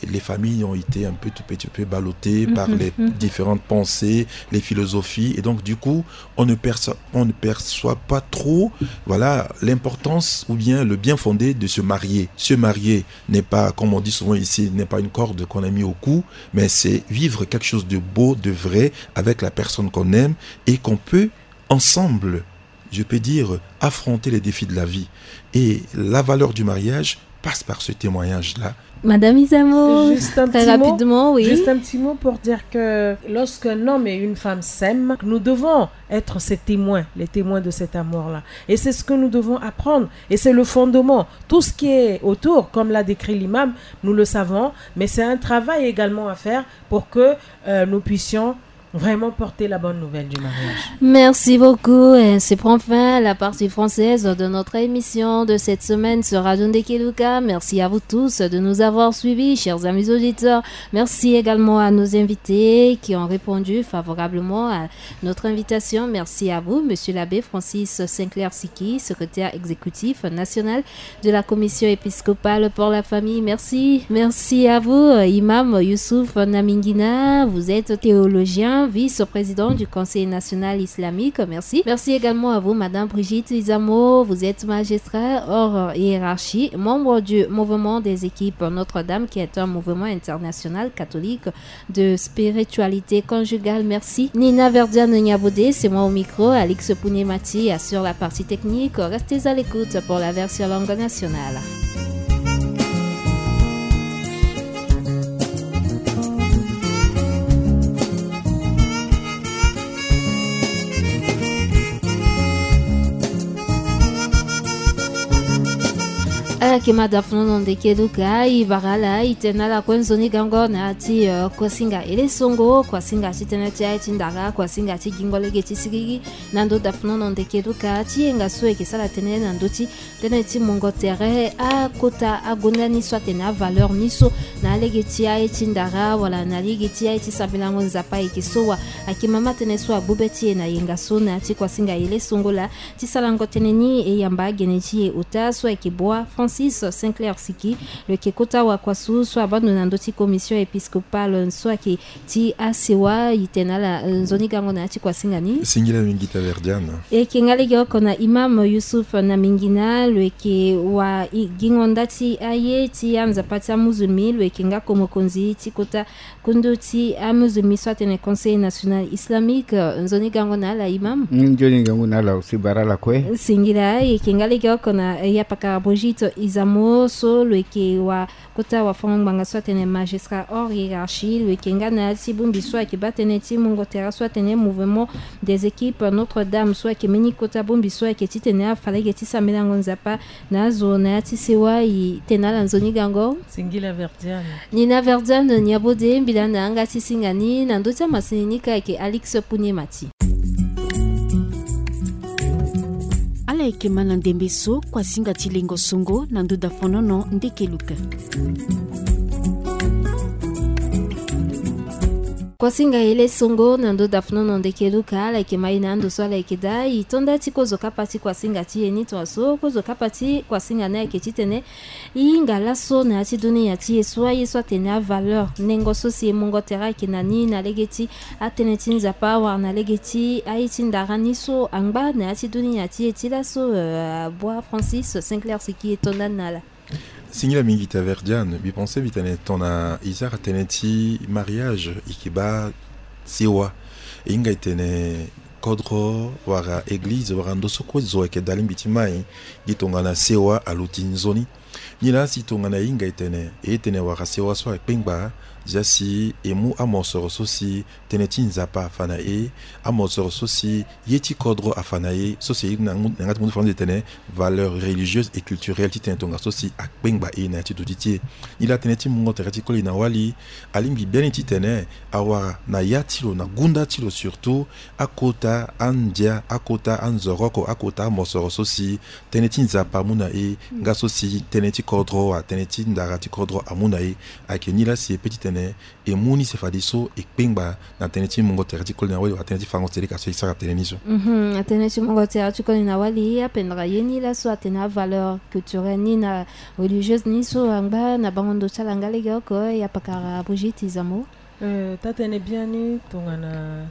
les familles ont été un peu, tout petit peu ballottées par les différentes pensées, les philosophies, et donc, du coup, on ne perçoit, on ne perçoit pas trop, voilà, l'importance ou bien le bien fondé de se marier. Se marier n'est pas, comme on dit souvent ici, n'est pas une corde qu'on a mis au cou, mais c'est vivre quelque chose de beau, de vrai, avec la personne qu'on aime et qu'on peut, ensemble, je peux dire, affronter les défis de la vie. Et la valeur du mariage passe par ce témoignage-là. Madame Izamo, juste un très petit mot, rapidement, oui. Juste un petit mot pour dire que lorsqu'un homme et une femme s'aiment, nous devons être ces témoins, les témoins de cet amour-là. Et c'est ce que nous devons apprendre. Et c'est le fondement. Tout ce qui est autour, comme l'a décrit l'imam, nous le savons, mais c'est un travail également à faire pour que euh, nous puissions vraiment porter la bonne nouvelle du mariage. Merci beaucoup. Ainsi prend fin la partie française de notre émission de cette semaine sur Radio Ndekeluka. Merci à vous tous de nous avoir suivis, chers amis auditeurs. Merci également à nos invités qui ont répondu favorablement à notre invitation. Merci à vous, Monsieur l'abbé Francis Sinclair Siki, secrétaire exécutif national de la Commission épiscopale pour la famille. Merci. Merci à vous, euh, Imam Youssouf Namingina. Vous êtes théologien, vice-président du Conseil national islamique. Merci. Merci également à vous, Madame Brigitte Izamo. Vous êtes magistrat hors hiérarchie, membre du mouvement des équipes Notre-Dame, qui est un mouvement international catholique de spiritualité conjugale. Merci. Nina Verdiane Niabodé, c'est moi au micro. Alix Pounemati assure la partie technique. Restez à l'écoute pour la version langue nationale. Ala yeke ma dafonono ndeke duka, e bara ala, e tene na ala kue nzoni gango na ya ti, eh, kuasinga ele songo, kuasinga ti tënë ti aye ti ndara, kuasinga ti gingo lege ti siriri. Na ndo dafonono ndeke duka, ti yenga so e yeke sara tënë na ndö ti tënë ti mungo tere akota agonda ni so atene avaleur ni so, na lege ti aye ti ndara wala na lege ti aye ti sambelango Nzapa, e yeke so wa. Ayeke mama tënë so agbu be ti e na yenga so na ya ti kuasinga ele songo laa. Ti sarango tënë ni, e yamba agene ti e ota so ayeke Boa Francis Sinclair Siki, lo yeke kota wakuasu so abando na ndö ti commission épiscopale so ayeke ti asewa. E tene na ala, eh, nzoni gango na ya ti kuasinga ni. Singila mingi Taverdiana. E yeke nga lege oko na Imam Youssouf Namingina, lo yeke wa i, gingo nda ti aye ti anzapa ti amuzulmi, lo yeke nga ko mokonzi ti kota kundu ti amuzulmi so atene Conseil national islamique. Nzoni gango na ala, Imam. Mm, nzoni gango na ala, aussi bara ala kue. Singila. E yeke nga lege oko na, eh, yapakara Brigitte Izamo so lo yeke wa kota wafango-ngbanga so atene magistrat hors hiérarchie, lo yeke nga na ya ti bongbi so ayeke baa tënë ti mungo tere so atene mouvement des équipes Notre-Dame so ayeke mbeni kota bongbi so ayeke titene afa lege ti sambelango Nzapa na azo na ya ti sewa. E tene na ala nzoni gango. Singila Verdiane. Nina Verdiane Niabodé, mbi laa na yanga ti singa ni na ndö ti amasini ni ka ayeke Alix Pounemati. Ala yeke ma na ndembe so kuasinga ti lengo songo na ndo dafonono ndeke luka. Kuasinga ele songo na ndo dafonono ndeke luka, ala yeke ma e na ando so ala yeke daa. E to nda ti kozo kapa ti kuasinga ti e ni, tongaso kozo kapa ti kuasinga ni ayeke titene e hinga laso na ya ti dunia ti e so aye so atene avaleur nengo so si e mungo tere ayeke na ni na lege ti atënë ti Nzapa wala na lege ti aye ti ndara ni so angba na ya ti dunia ti e ti laso, eh, Boa Francis Sinclair Siki, e to nda ni na ala. Singila mingi Taverdiane, mbi pense mbi tene tongana e sara tënë ti mariage, e yeke baa sewa. E hinga e tene kodro wala église wala ndo so kue zo ayeke daa lingbi ti mai, gi tongana sewa aluti nzoni. Nilaa si tongana e hinga e tene, e tene wara sewa so akpengba, zia si e mu amosoro so si tënë ti Nzapa afa na e, amosoro so si ye ti kodro afa na e, so si e na ngu-, na yanga ti mundu faranzi e tene valeur religieuse et culturelle, titene tongaso si akpengba e na ya ti duti ti e. Nilaa tënë ti mungo tere ti koli na wali, alingbi biani titene awara na ya ti lo, na gunda ti lo surtout, akota andia, akota anzoroko, akota amosoro so si tënë ti Nzapa amu na e, nga so si tënë tënë ti kodro, atënë ti ndara ti kodro amu na e. Ayeke ni laa si e pe titene e mu ni se fadeso e kpengba na tënë ti mungo tere ti koli na wali wala tënë ti fango seleka so e sara tënë ni so. Mhm, atënë ti mungo tere ti koli na wali apendere ye ni laso atene avaleur culturelle ni na religieuse ni so angba na bango ndo ti ala nga lege oko. Ya pakara Brigitte Izamo. Euh, taa-tënë biani tongana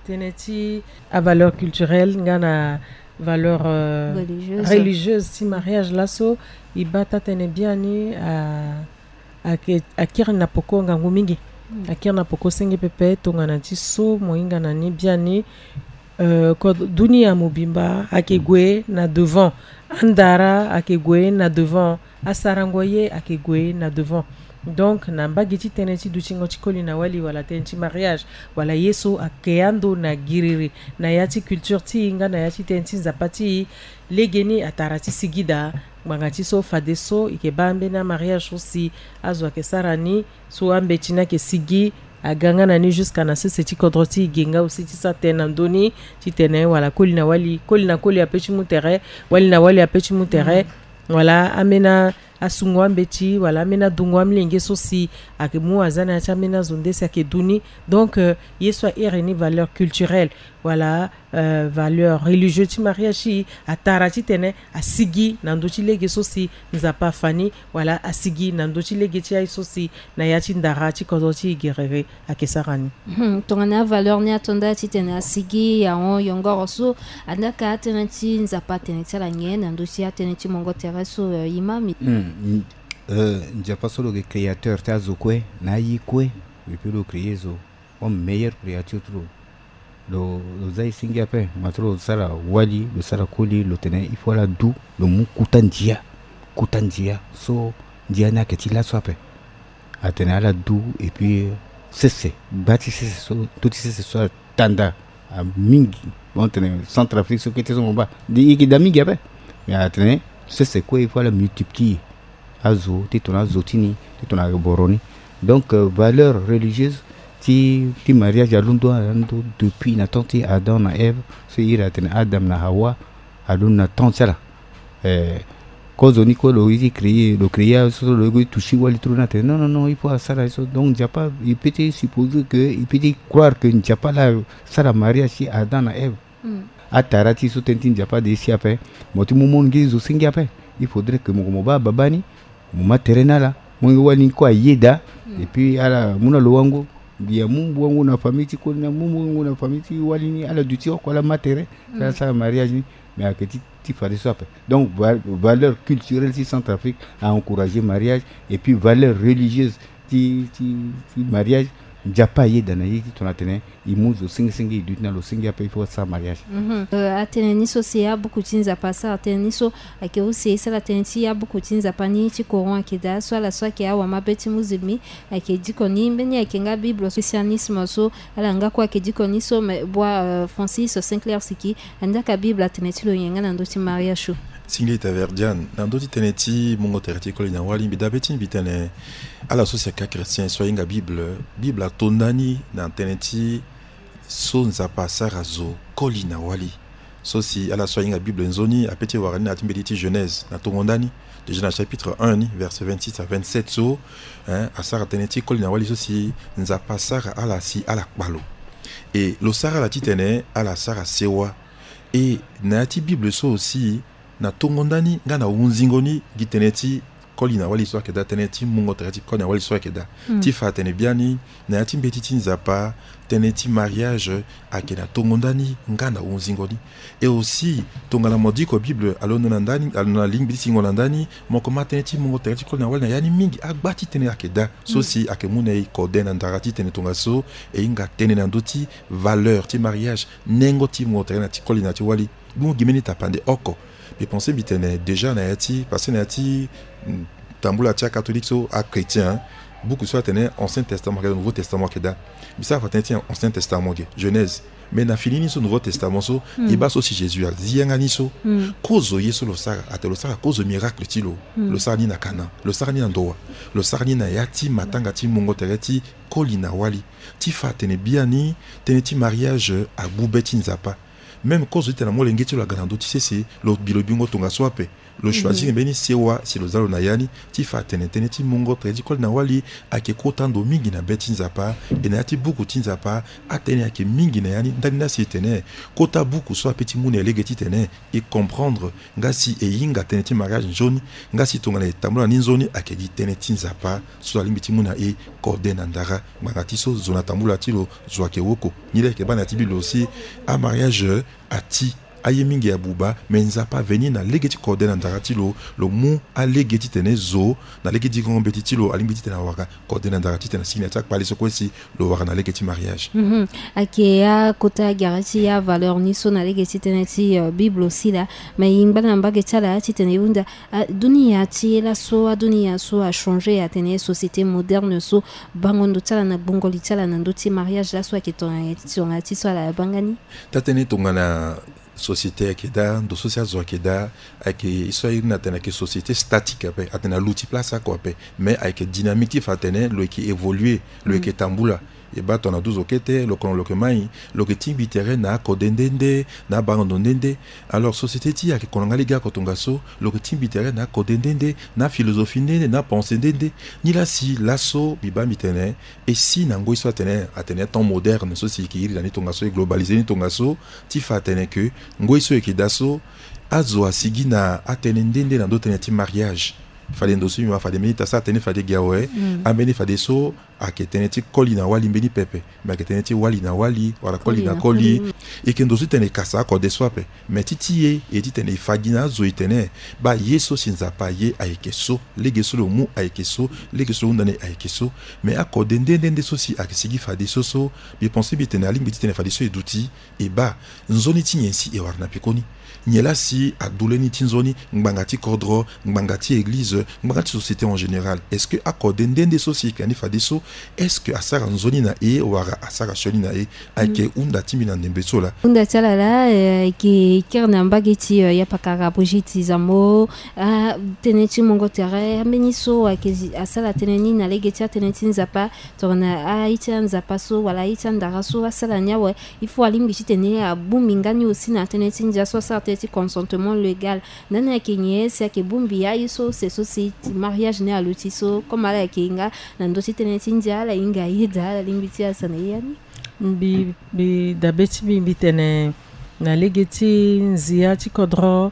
tënë ti avaleur culturelle nga na valeur, euh, religieuse. Religieuse ti mariage laso, e baa taa-tënë biani a, ayeke, akiri na poko ngangu mingi. Mm. Akiri na poko senge pepe tongana ti so mo hinga na ni biani. Euh, kodro, dunia mobimba ayeke gue na devant. Andara ayeke gue na devant. Asarango ye ayeke gue na devant. Donc na mbage ti tënë ti dutingo ti koli na wali wala tënë ti mariage wala ye so ayeke ando na giriri na ya ti culture ti e nga na ya ti tënë ti Nzapa ti e. Legeni atara ti sigi daa ngbanga ti so fadeso e yeke baa ambeni amariage so si azo ayeke sara ni, so ambeti ni ayeke sigi, aga nga na ni jusqu'à na sese ti kodro ti e ge nga aussi ti sara tënë na ndö ni titene wala koli na wali, koli na koli ape ti mu tere, wali na wali ape ti mu tere. Mm. Wala ambeni asungo ambeti wala ambeni adungo amolenge so si ayeke mu aza na ya ti ambeni azo nde si ayeke du ni. Donc, euh, ye so a iri ni valeur culturelle wala, euh, valeur religieuse ti mariage ti e atara titene asigi na ndö ti lege so si Nzapa afa ni wala asigi na ndö ti lege ti aye so si na ya ti ndara ti kodro ti e gerere ayeke sara ni. Hmm, tongana avaleur ni ato nda titene asigi ahon yongoro so, andaa ka atënë ti Nzapa atene ti ala nyen na ndö ti atënë ti mungo tere so, euh, imam? Hmm, n-, euh, Nzapa so lo yeke créateur ti azo kue na aye kue. Et puis lo créer zo comme meilleure créature ti lo. Lo, lo za e senge ape, ma ti lo sara wali, lo sara koli, lo tene il faut ala du, lo mu kuta ndia, kuta ndia so ndia ni ayeke ti laso ape. Atene ala du, et puis sese, gba ti sese so, ndö ti sese so atanda, a mingi, bon, tene Centrafrique so kete so mo baa, e yeke daa mingi ape. Mais atene sese kue il faut ala multiplier azo ti tongana azo ti ni, ti tongana boro ni. Donc, euh, valeur religieuse ti, ti mariage alondo alondo depuis na temps ti Adam na Ève, so e iri atene Adam na Hawa, alondo na temps ti ala. Eh, kozo ni kue lo ye ti créer, lo créer azo so lo ye ti toucher wali ti lo ni atene non, non, non, il faut asara ye so. Donc Nzapa, il peut te supposer que, il peut te croire que Nzapa laa asara mariage ti Adam na Ève. Hmm. Atara ti so tënë ti Nzapa ade si ape. Mo ti mu molenge zo senge ape. Il faudrait que mo, mo baa babâ ni, mo ma tere na ala. Molenge wali ni kue ayeda. Hmm. Et puis ala mu na lo wango. Mbi amu wango na famille ti koli ni, amu wango na famille ti wali ni, ala duti oko, ala ma tere. Hmm. Ala sara mariage ni. Mais ayeke ti, ti fadeso ape. Donc va-, valeur culturelle ti Centrafrique a encourager mariage. Et puis valeur religieuse ti, ti, ti mariage, Nzapa ayeda na ye ti tongana atene e mu zo senge senge, e duti na lo senge ape, il faut asara mariage. Mhm. Euh, atene ni so si abuku ti Nzapa asara tënë ni so, ayeke use e sara tënë ti abuku ti Nzapa ni ti Coran ayeke daa, so ala so ayeke awamabe ti musulmi ayeke diko ni. Mbeni ayeke nga Bible so christianisme so, ala nga kue ayeke diko ni so, mais boi, euh, Francis Sinclair Siki, andaa ka Bible atene ti lo nyen nga na ndö ti mariage so? Singlet Taverdian, na ndö ti tënë ti mungo tere ti koli na wali, mbi dabe ti mbi tene ala so si ayeke achrétien so ahinga Bible, Bible ato ndani na tënë ti so Nzapa asara zo koli na wali. So si ala so ahinga Bible nzoni ape ti wara ni na ya ti mbeti ti Genèse na tongo ndani, déjà na chapitre un ni, verset vingt-six à vingt-sept so, hein, asara tënë ti koli na wali so si Nzapa asara ala si ala kpa lo. E lo sara ala titene ala sara sewa. E na ya ti Bible so aussi, na tongo ndani nga na hunzingo ni, gi tënë ti koli na wali so ayeke daa, tënë ti mungo tere ti koli na wali so ayeke daa. Hmm. Ti fa atene biani, na ya ti mbeti ti Nzapa, tënë ti mariage ayeke na tongo ndani nga na hunzingo ni. Et aussi tongana mo diko Bible alondo na ndani, alondo na lingbi ti singo na ndani, mo yeke ma tënë ti mungo tere ti koli na wali na ya ni mingi. Agba ti tënë ayeke daa so, hmm, si ayeke mu na e kode na ndara titene tongaso e hinga tënë na ndö ti valeur ti mariage, nengo ti mungo tere na ti koli na ti wali. Bungu gi mbeni tapande oko. Mbi pense mbi tene déjà na ya ti, parce que na ya ti, mm, tambula ti acatholique so, achrétien, hein, buku so atene Ancien Testament ayeke daa, Nouveau Testament ayeke daa. Mbi sara fa tënë ti Ancien Testament ge, Genèse. Mais na fini ni so Nouveau Testament so, hmm, e baa so si Jésus azi yanga ni so. Hmm. Kozo ye so lo sara, atene lo sara kozo miracle ti lo. Hmm. Lo sara ni na Cana, lo sara ni na Ndoa, lo sara ni na ya ti matanga ti mungo tere ti koli na wali. Ti fa atene biani, tënë ti mariage agbu be ti Nzapa. Même kozo ti tene na molenge ti lo aga na ndö ti sese, lo bi lo bingo tongaso ape. Lo choisir mbeni sewa si lo za lo na ya ni, ti fa atene tënë ti mungo tere ti koli na wali ayeke kota ndo mingi na be ti Nzapa. E na ya ti buku ti Nzapa, atënë ayeke mingi na ya ni. Ndali ni asi e tene kota buku so ape ti mu na e lege ti tene e comprendre, nga si e hinga tënë ti mariage nzoni, nga si tongana e tambula ni nzoni, ayeke gi tënë ti Nzapa so alingbi ti mu na e kode na ndara. Ngbanga ti so zo na tambula ti lo, zo ayeke woko. Ni laa e yeke baa na ya ti Bible aussi, amariage ati, aye mingi abuba, me Nzapa aveni na lege ti kode na ndara ti lo, lo mu alege ti tene zo na lege digongo mbeti ti lo alingbi ti tene awara kode na ndara ti tene asigi na ya ti akpale so kue si lo wara na lege ti mariage. Mhm. Ayeke akota gere ti avaleur ni so na lege ti tënë ti, euh, Bible aussi laa. Me e ngba na mbage ti ala titene e hunda, ah, dunia ti ye laso, adunia so achanger, atene société moderne so, bango ndo ti ala na gbongo li ti ala na ndö ti mariage laso ayeke tongana, tongana ti so ala baa nga ni. Taa tënë tongana société ayeke daa, ndo so si azo ayeke daa, ayeke ye so a iri ni atene ayeke société statique ape, atene aluti place oko ape. Mais ayeke dynamique ti fa atene lo yeke évoluer, lo yeke tambula. E baa tongana douze okete, lo kono lo yeke mai, lo yeke tingbi tere na akode nde nde, na abango ndo nde nde. Alors société ti e ayeke kono nga lege oko tongaso, lo yeke tingbi tere na akode nde nde, na philosophie nde nde, na pensée nde nde. Ni laa si laso mbi baa mbi tene, e si na ngoi so atene, atene temps moderne so si e yeke iri na ni tongaso, e globaliser ni tongaso, ti fa atene ke ngoi so e yeke daa so, azo asigi na atënë nde nde na ndö tënë ti mariage. Fade ndo so mbi ma fade mbeni ta so atene fade gi awe, mm, ambeni fadeso ayeke tënë ti koli na wali mbeni pepe, me ayeke tënë ti wali na wali, wala koli na koli. E yeke ndo so ti tene e kasa akode so ape. Me ti ti e, e ti tene e fa gi na azo e tene, baa ye so si Nzapa aye ayeke so, lege so lo mu ayeke so, lege so lo hunda ni ayeke so. Me akode nde nde nde so si ayeke sigi fadeso so, mbi pense mbi tene alingbi ti tene fadeso e duti, e baa nzoni ti nyen si e wara na pekoni. Nyen laa si adu leni ti nzoni, ngbanga ti kodro, ngbanga ti église, ngbanga ti société en général. Est-ce que akode nde nde so si e yeke na ni fadeso, est-ce que asara nzoni na e wala asara sioni na e? Ayeke hunda ti mbi na ndembe so laa. Hunda ti ala laa, eh, ayeke kiri na mbage ti, eh, ya pakara Brigitte Zambo, ah, tënë ti mungo tere, ambeni so ayeke zi-, asara tënë ni na lege ti atënë ti Nzapa, tongana aye ti anzapa so wala aye ti andara so asara ni awe, il faut alingbi titene abongbi nga ni aussi na tënë ti ndia so asara tënë ti consentement légal. Ndani ayeke nyen si ayeke bongbi aye so use so si mariage ni aluti so, comme ala yeke nga na ndö ti tënë ti ndia, ala hinga ayeda, ala lingbi ti asana ye ya ni. Mbi, mbi dabe ti mbi, mbi tene na lege ti nzia ti kodro,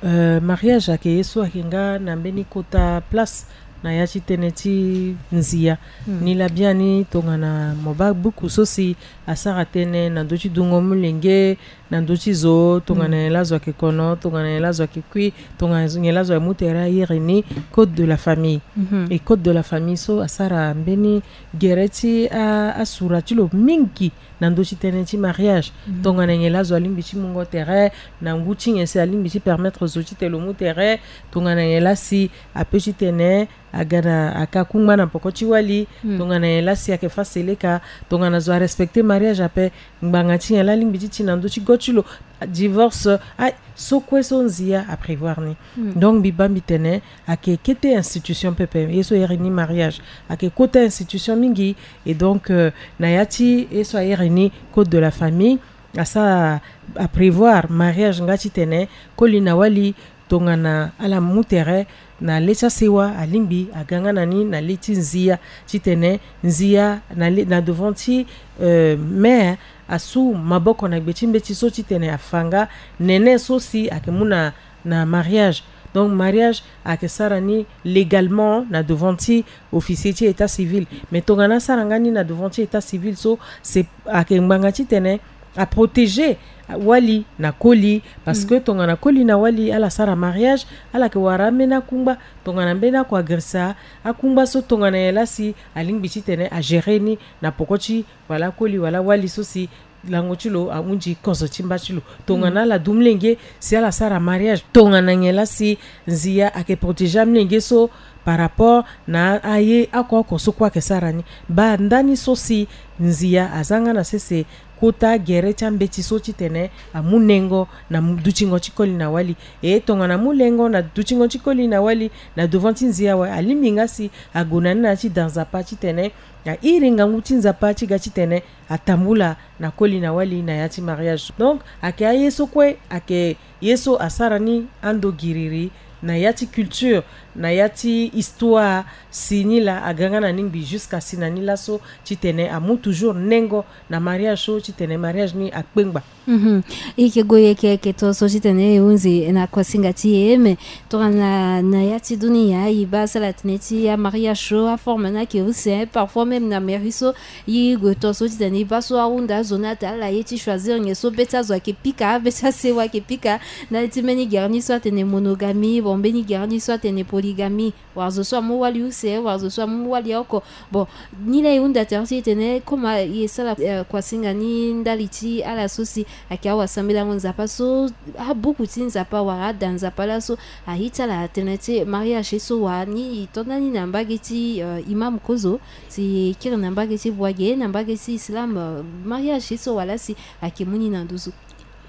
euh, mariage ayeke ye so ayeke nga na mbeni kota place na ya ti tënë ti nzia. Hmm. Ni laa biani tongana mo baa buku so si asara tënë na ndö ti dungo molenge, na ndö ti zo, tongana, hmm, nyen laa zo ayeke kono, tongana nyen laa zo ayeke kui, tongana nyen laa zo amu tere, a iri ni code de la famille. Mhm. E code de la famille so asara mbeni gere ti a, asura ti lo mingi na ndö ti tënë ti mariage. Mhm. Tongana nyen laa zo alingbi ti mungo tere, na ngu ti nyen si alingbi ti permettre zo titene lo mu tere, tongana nyen laa si ape titene aga na, aka kungba na poko ti wali, hmm, tongana nyen laa si ayeke fa seleka, tongana zo arespecter mariage ape, ngbanga ti nyen laa alingbi ti ti na ndö ti go ti lo, divorce, ah, so kue so nzia aprévoir ni. Hmm. Donc mbi baa mbi tene ayeke kete institution pepe, ye so e iri ni mariage ayeke kota institution mingi. Et donc, euh, na ya ti ye so a iri ni code de la famille, asara aprévoir mariage nga titene koli na wali, tongana ala mu tere na le ti asewa, alingbi aga nga na ni na le ti nzia, titene nzia na le, na devant ti, euh, mère, asu maboko na gbe ti mbeti so titene afa nga nene so si ayeke mu na, na mariage. Donc mariage ayeke sara ni légalement na devant ti officier ti état civil. Mais tongana asara nga ni na devant ti état civil so, c'est, ayeke ngbanga titene aprotéger wali na koli, parce que, mm, tongana koli na wali ala sara mariage, ala yeke wara ambeni akungba, tongana mbeni oko agirisa akungba so, tongana nyen laa si alingbi titene agérer ni na poko ti wala koli wala wali so si lango ti lo ahunzi kozo ti mba ti lo. Tongana, mm, ala du molenge si ala sara mariage, tongana nyen laa si nzia ayeke protéger amolenge so, Par rapport na aye oko oko so kue ayeke sara ni, baa ndani so si Nzia aza nga na sese kota gere ti ambeti so titene amu nengo na dutingo ti koli na wali. E tongana amu nengo na dutingo ti koli na wali na devant ti Nzia awe, alingbi nga si ague na ni na ya ti da Nzapa titene airi ngangu ti Nzapa ti ga titene atambula na koli na wali na ya ti mariage. Donc ayeke aye so kue ayeke ye so asara ni ando giriri na ya ti culture, na ya ti histoire. Si ni laa aga nga na ni ngbii jusqu'à si na ni laso titene amu toujours nengo na mariage so titene mariage ni akpengba. Mhm. E yeke gue, e yeke, e yeke to so titene e hunzi na kuasinga ti e, mais tongana na ya ti dunia e baa asara tënë ti amariage so aforme ni ayeke use, parfois même na mairie so e gue to so titene e baa so ahunda azo ni atene ala ye ti choisir nyen so be ti azo ayeke pika, be ti asewa ayeke pika. Ndali ti mbeni gere ni so atene monogamie, bon, mbeni gere ni so atene polygamie. Wala zo so amu wali use, wala zo so amu wali oko. Bon, ni laa e hunda tere ti e tene comme e sara, eh, kuasinga ni ndali ti ala so si ayeke awasambelango Nzapa so, abuku ti Nzapa wala ada Nzapa laso aye ti ala tënë ti mariage so wa ni e to ndani na mbage ti, eh, imam kozo, si e kiri na mbage ti Bouagué, na mbage ti islam, eh, mariage so wa laa si ayeke mu ni na nduzu.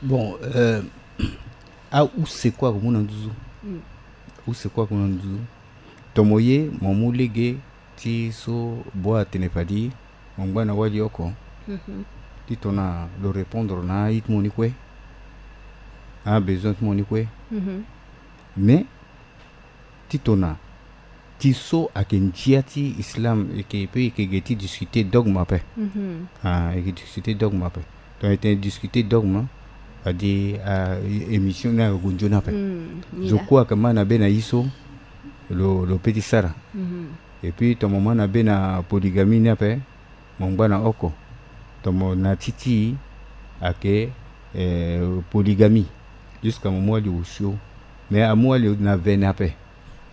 Bon, euh, ause kue ayeke mu na nduzu. Mm. Use kue ayeke mu na nduzu. Tomo ye mo mu lege ti so boi atene fade mo ngba na wali oko. Mhm. Ti tongana lo répondre na aye ti mo ni kue, abesoin ti mo ni kue. Mhm. Mais ti tongana ti so ayeke ndia ti islam, e yeke pe e yeke ge ti discuter dogme ape. Mhm. Ah, e yeke discuter dogme ape. Donc e tene discuter dogme, fade, ah, émission ni ayeke gue nzoni ape. Mm, ni zo la. Kue ayeke ma na be na ye so lo, lo pe ti sara. Mhm. Et puis tomo ma na be na polygamie ni ape, mo ngba na oko. Tomo na ti ti ayeke, eh, polygamie. Jusqu'à mo mu wali osio. Mais amu wali na vene ape,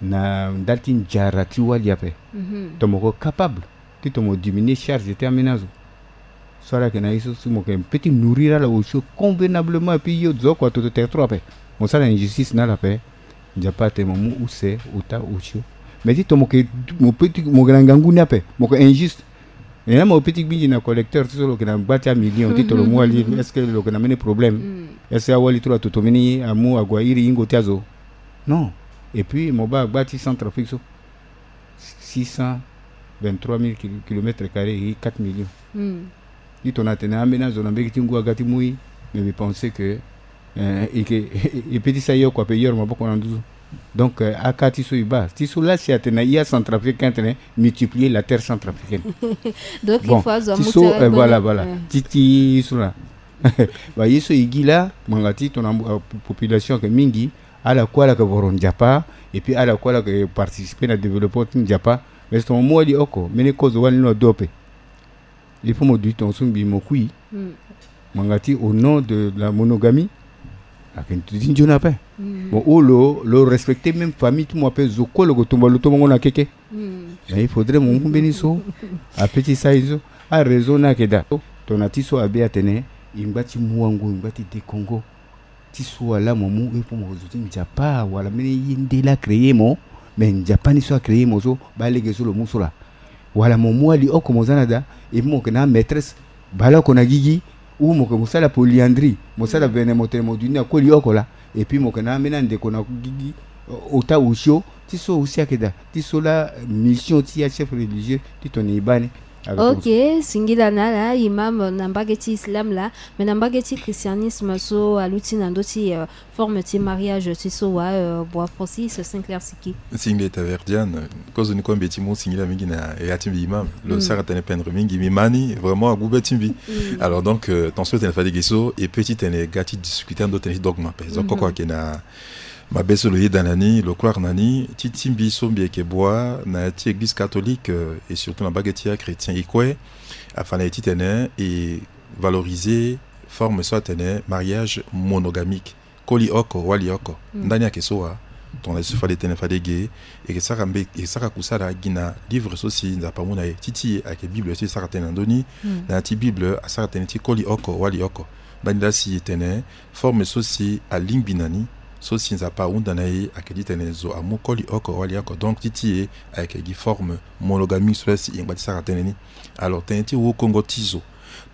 na ndali ti nzara ti wali ape. Mhm. Tomo ko capable ti tomo diminuer charge ti ambeni azo. So ala yeke na ye so si mo yeke pe ti nourrir ala osio convenablement, et puis yo zo oko atoto territoire ape, mo sara injustice na ala ape. Nzapa atene mo mu use ota osio. Mais ti tomo ke, mo pe ti, mo yeke na ngangu ni ape, mo yeke injuste. E na mo pe ti gbinzi na collecteur ti so lo yeke na gba ti amillion ti tolo mu wali, est-ce que lo yeke na mbeni problème? Mm. Est-ce que awali ti lo atoto mbeni amu ague airi yingo ti azo? Non. Et puis mo baa agba ti Centrafrique so, six cent vingt-trois mille kil-, kilomètres carrés, e quatre millions. Mm. Ti tongana atene ambeni azo na mbage ti ngu aga ti mu e, mais mbi pense que, eh, e yeke, e pe ti sara ye oko ape, e yoro maboko na nduzu. Donc, eh, aka ti so e baa ti so laa si atene na ya Centrafricain atene multiplier la terre centrafricaine. Donc, bon, il faut azo ti amu so, terrain, eh, voilà, voilà. Eh. Ti, ti so laa. Ba ye so e gi laa, ngbanga ti tongana, eh, population ayeke mingi, ala kue ala yeke voro Nzapa, et puis ala kue ala yeke participer na développement ti Nzapa. Mais si tongana mo mu wali oko, mbeni kozo wali ni lo adu ape. Il faut mo duti tongaso ngbii mo kui. Mm. Ngbanga ti au nom de la monogamie, ayeke nduti nzoni ape. Mm. Bon, ou lo, lo respecter même famille ti mo ape, zo kue lo yeke tumba lo tombongo na keke. Mm. Mais il faudrait mo mu mbeni so ape ti sara ye so. Araison ni ayeke daa. Tongana ti so abe atene e ngba ti mu wango, e ngba ti dekongo. Ti so ala mo mu e po mo zo ti Nzapa wala mbeni ye nde laa créer mo, mais Nzapa ni so acréer mo so, baa lege so lo mu so laa. Wala mo mu wali oko mo za na da, et puis mo yeke na amaîtresse baleoko na gigi, ou mo yeke mo sara polyandrie, mo sara vene mo tene mo duti na koli oko laa, et puis mo yeke na ambeni andeko na gigi, ota osio, ti so aussi ayeke daa, ti so laa mission ti achef religieux ti tongana e baa ni. Ok, singila na ala imam na mbage ti islam laa, mais na mbage ti christianisme so aluti na ndö ti, euh, forme ti mariage ti so wa, euh, boi Francis Sinclair Siki. Singila Taverdiane, kozo ni kue mbi ye ti mu singila mingi na ya ti mbi imam. Lo sara tënë pendre mingi, mbi ma ni vraiment agu be ti mbi. Alors donc, euh, tongaso tene fade ge so e pe ti tene ga ti discuter ando tënë ti dogme ape. Zo kue kue ayeke na mabe so lo yeda na ni, lo croire na ni, ti ti mbi so mbi yeke bua na ya ti église catholique, euh, et surtout na mbage ti achrétien e kue, afa na e titene e valoriser forme so atene mariage monogamique. Koli oko, wali oko. Ndani ayeke so wa, tongana e so fade tene fade ge, e yeke sara mbe, e yeke sara kusala gi na livre so si Nzapa amu na e. Ti ti e ayeke Bible so e sara tënë na ndö ni, na ya ti Bible asara tënë ti koli oko, wali oko. Ndani laa si e tene, forme so si alingbi na ni, so si Nzapa ahunda na e ayeke titene zo amu koli oko wali oko. Donc ti ti e ayeke gi forme monogamie so si e ngba ti sara tënë ni. Alors tënë ti wokongo ti zo,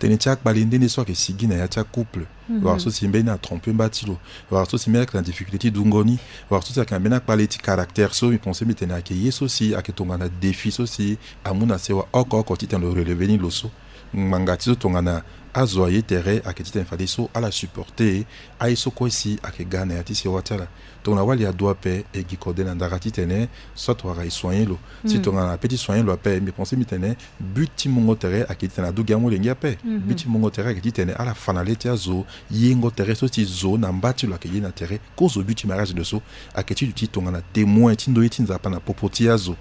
tënë ti akpale nde nde so ayeke sigi na ya ti acouple, wala so si mbeni atrompe mba ti lo, wala so si mbeni ayeke na difficulté ti dungo ni, wala so si ayeke na mbeni akpale ti caractère so mbi pense mbi tene ayeke ye so si ayeke tongana défi so si amu na sewa oko oko titene lo relever ni lo so. Ngbanga ti so tongana azo aye tere ayeke titene fadeso ala supporter aye so kue si ayeke ga na ya ti sewa ti ala. Tongana wali adu ape, e gi kode na ndara titene soit wara e soigner lo. Si tongana ape ti soigner lo ape, mbi pense mbi tene but ti mungo tere ayeke titene adu gi amolenge ape. But ti mungo tere ayeke titene ala fa na le ti azo yengo tere so si zo na mba ti lo ayeke ye na tere. Kozo but ti mariage de so ayeke ti duti tongana témoin ti ndoye ti Nzapa na popo ti azo.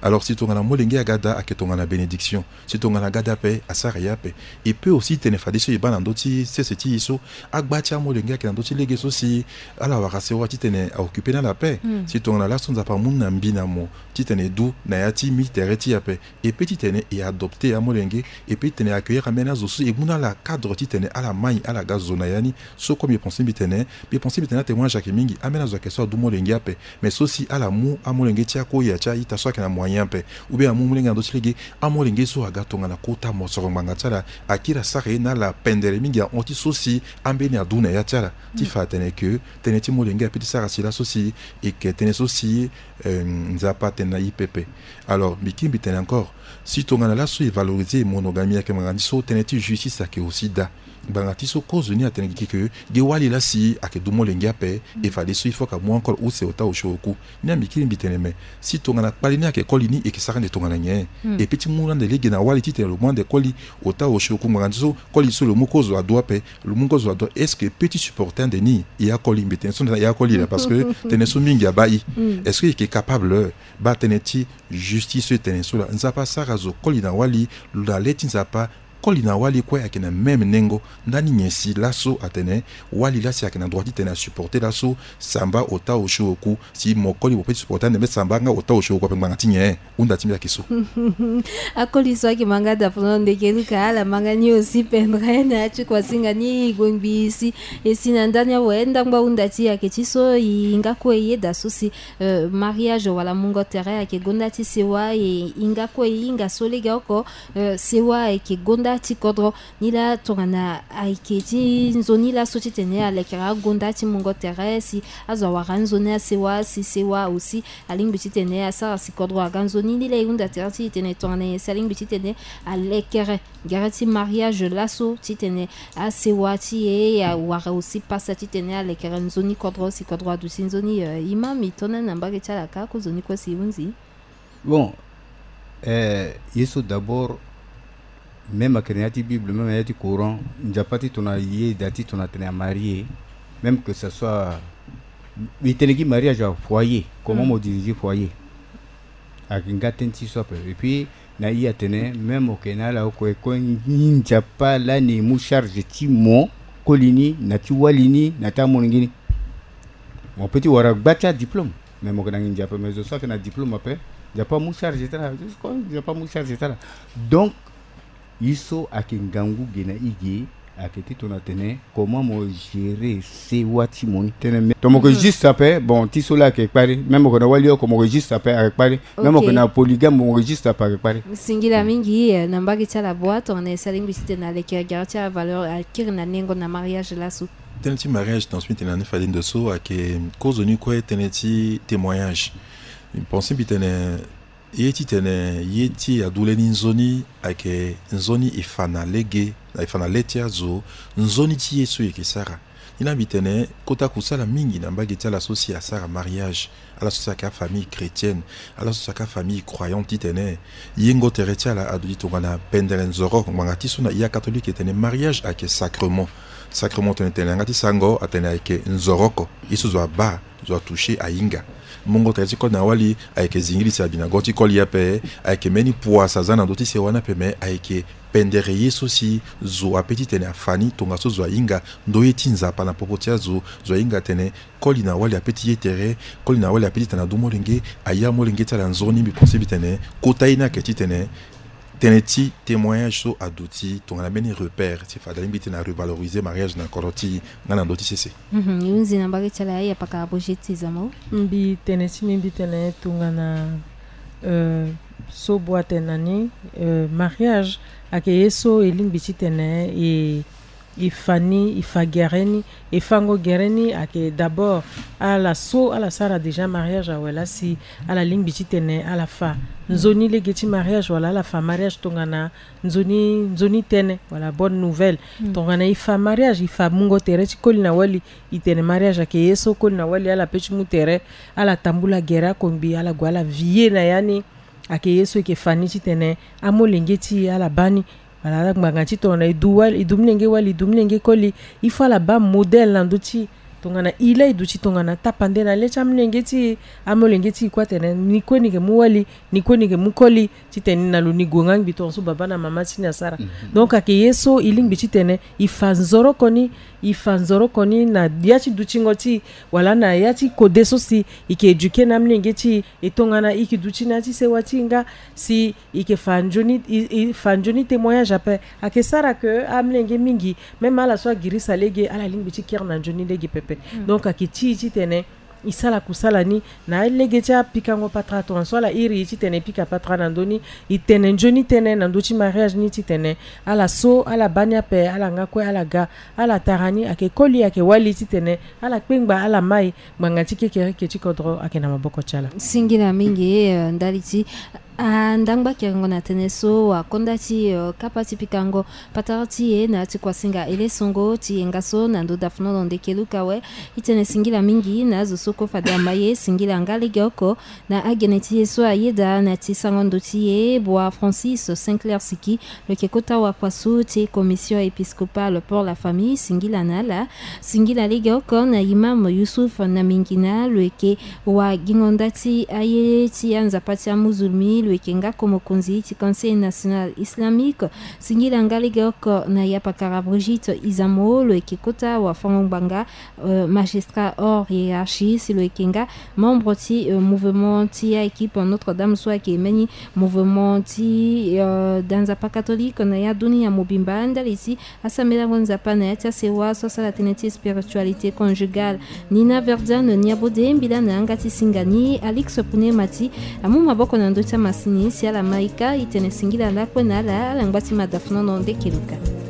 Alors si tongana molenge aga daa ayeke tongana bénédiction. Si tongana aga daa ape asara ye ape. E peut aussi tene fadeso e baa na ndö ti sese ti e so agba ti amolenge ayeke na ndö ti lege so si ala wara sewa titene a occuper na ala ape. Si tongana laso Nzapa amu ni na mbi na mo titene e du na ya ti mbi tere ti e ape, e peut titene e adopter amolenge, e peut titene e accueillir ambeni azo so e mu na ala cadre titene ala mai ala ga zo na ya ni. So kue mbi pense mbi tene, mbi pense mbi tene atémoignage ayeke mingi. Ambeni azo ayeke so adu molenge ape, mais so si ala mu amolenge ti akoya ti a-ita so ayeke na moyen ape, ou bien amu molenge na ndö ti lege, amolenge so aga tongana kota mosoro ngbanga ti ala, akiri asara ye na ala pendere mingi ahon ti so si ambeni adu na ya ti ala. Ti fa atene ke tënë ti molenge ape ti sara si laso si e yeke tënë so si, euh, Nzapa atene na e pepe. Alors mbi kiri mbi tene encore, si tongana laso e valoriser monogamie ayeke ngbanga ni so, tënë ti justice ayeke aussi daa. Ngbanga ti so kozo ni atene gigi ke gi wali laa si ayeke du molenge ape, e fadeso il faut ke amu encore use ota osio oku. Ni ambi kiri mbi tene me, si tongana kpale ni ayeke koli ni, e yeke sara ande tongana nyen? E peut ti mu ande lege na wali titene lo mu ande koli ota osio oku. Ngbanga ti so koli so lo mu kozo adu ape, lo mu kozo adu, est-ce que e peut ti supporter ande ni? E akoli, mbi tene so na e akoli laa, parce que tënë so mingi abaa e. Est-ce que e yeke capable? Baa tënë ti justice so e tene so laa, Nzapa asara zo koli na wali, lo na le ti Nzapa, koli na wali kue ayeke na même nengo. Ndani nyen si laso atene wali laa si ayeke na droit titene asupporter laso samba ota osio oku? Si mo koli mo peut ti supporter ande me samba nga ota osio oku ape, ngbanga ti nyen? Hunda ti mbi ayeke so. Akoli so ayeke ma nga daa pendere ndeke luka ala ma nga ni aussi pendere na ya ti kuasinga ni gongbi si. E si na ndani awe ndangba hunda ti e ayeke ti so e hinga kue e yeda so si, euh, mariage wala mungo tere ayeke gonda ti sewa, e hinga kue e hinga so legeoko, euh, sewa ayeke gonda ti kodro. Ni laa tongana ayeke ti nzoni laso titene alekere agonda ti mungo tere si azo awara nzoni asewa si sewa aussi alingbi titene asara si kodro aga nzoni. Ni laa e hunda tere ti e tene tongana nyen si alingbi titene alekere gere ti mariage laso titene asewa ti e awara aussi pasa titene alekere nzoni kodro si kodro aduti nzoni. Euh, imam, e to na ni na mbage ti ala kâ, kozoni kue si e hunzi. Bon, euh, ye so d'abord, même ayeke na ya ti Bible, même na ya ti Coran, Nzapa ti tongana ye da ti tongana atene amarie, même que ça soit, mbi tene gi mariage à foyer, comment mo diriger foyer. Ayeke nga tënë ti so ape. Et puis na e atene même ayeke na ala oko e kue ni Nzapa lani e mu charge ti mo koli ni na ti wali ni na ti amolenge ni. Mo peut ti wara gba ti adiplôme, mais mo yeke na nginza ape, mais zo so ayeke na diplôme ape, Nzapa amu charge ti ala. Nzapa amu charge ti ala. Donc ye so ayeke ngangu ge na e ge, ayeke ti tongana atene comment mo gérer sewa ti mo ni. Tënë me, tongana mo yeke juste ape, bon, ti so laa ayeke kpari. Même mo yeke na wali oko, mo yeke juste ape, ayeke kpari. Même mo yeke na polygame, mo yeke juste ape, ayeke kpari. Singila mingi, eh, na mbage ti ala bua tongana e sara lingbi titene aleke agara ti avaleur akiri na nengo na mariage laso. Tënë ti mariage, tongana so mbi tene na ni fade ndo so, ayeke kozoni kue tënë ti témoignage. Mbi pense mbi tene ye titene ye ti e adu lani nzoni ayeke nzoni e fa na lege, e fa na le ti azo, nzoni ti ye so e yeke sara. Ni laa mbi tene kota kusala mingi na mbage ti ala so si asara mariage, ala so si ayeke afamille chrétienne, ala so si ayeke afamille croyante, titene yengo tere ti ala aduti tongana pendere nzoro oko. Ngbanga ti so na e acatholique e tene mariage ayeke sacrement. Sacrement tene tene na yanga ti sango atene ayeke nzoro oko. Ye so zo abaa, zo atoucher, ahinga. Mungo tere ti koli na wali ayeke zingili si abi na go ti koli ape, ayeke mbeni poids si aza na ndö ti sewa ni ape, me ayeke pendere ye so si zo ape titene afa ni tongaso zo ahinga ndoye ti Nzapa na popo ti azo. Zo ahinga atene koli na wali ape ti ye tere, koli na wali ape titene adu molenge, aye amolenge ti ala nzoni. Mbi pense mbi tene kota ye ni ayeke titene Tënë ti témoignage so aduti tongana mbeni repère ti fade alingbi ti tene arevaloriser mariage na kodro ti nga na ndö ti sese. Mhm, e hunzi na mbage ti ala, ya pakara Brigitte Izamo. Mbi tene ti mbi mbi tene tongana, euh, so bua tene na ni, euh, mariage ayeke ye so e lingbi ti tene e e fa ni, e fa gere ni. E fango gere ni ayeke d'abord ala so ala sara déjà mariage awe laa si ala lingbi ti tene ala fa nzoni lege ti mariage wala ala fa mariage tongana nzoni, nzoni tënë wala bonne nouvelle. Mm. Tongana e fa mariage, e fa mungo tere ti koli na wali, e tene mariage ayeke ye so koli na wali ala pe ti mu tere, ala tambula gere akongbi, ala gue ala vie na ya ni. Ayeke ye so e yeke fa ni ti tene amolenge ti e ala baa ni. Wala ala ngbanga ti tongana e du wali, e du molenge wali, e du molenge koli, il faut ala baa modèle na ndö ti e. Tongana e laa e duti tongana tapande na le ti amolenge ti e, amolenge ti e kue atene ni kue ni yeke mu wali, ni kue ni yeke mu koli, titene ni na lo ni gue nga ngbi tongaso baba na mama ti ni asara. Mhm. Donc ayeke ye so e lingbi titene e fa nzoroko ni, e fa nzoroko ni na ya ti dutingo ti e, wala na ya ti kode so si e yeke éduquer na amolenge ti e. E tongana e yeke duti na ya ti sewa ti e nga si e yeke fa nzoni, e, e fa nzoni témoignage ape. Ayeke sara ke amolenge mingi, même ala so agirisa lege, ala lingbi ti kiri na nzoni lege pepe. Mm. Donc ayeke ti e titene e sala kusala ni na alege ti apikango patara, tongaso ala iri e titene e pika patara na ndö ni, e tene nzoni tënë na ndö ti mariage ni titene ala so ala baa ni ape, ala nga kue ala ga, ala tara ni, ayeke koli, ayeke wali titene ala kpengba, ala mai. Ngbanga ti kekereke ti kodro ayeke na maboko ti ala. Singila mingi, eh, ndali ti, ah, ndangba kerengo na tënë so, akonda ti, eh, kapa ti pikango patara ti e na ya ti kuasinga ele songo ti yenga so na ndö dafnono ndeke luka awe. E tene singila mingi na azo so kue fade ama ye, singila nga legeoko na agene ti e so ayeda na ya ti sango ndo ti e, bua Francis Sinclair Siki, lo yeke kota wakuasu ti Commission épiscopale pour la famille, singila na ala. Singila legeoko na imam Youssouf Namingina, lo yeke wagingo nda ti aye ti anzapa ti amuzulmi, lo yeke nga ko mokonzi ti Conseil national islamique. Singila nga legeoko na yapakara Brigitte Izamo, lo yeke kota wafango ngbanga, euh, magistrat hors hiérarchie, si lo yeke nga membre ti, euh, mouvement ti aéquipe Notre-Dame so ayeke mbeni mouvement ti, euh, da nzapa catholique na ya dunia mobimba, ndali ti asambelango nzapa na ya ti asewa so asara tënë ti spiritualité conjugale. Nina Verdiane Niabode, mbila na yanga ti singa ni, Alix Pune Mati amu maboko na ndö ti amasini si ala ma e ka. E tene singila lakue na ala, ala ngba ti madafnono ndeke luka.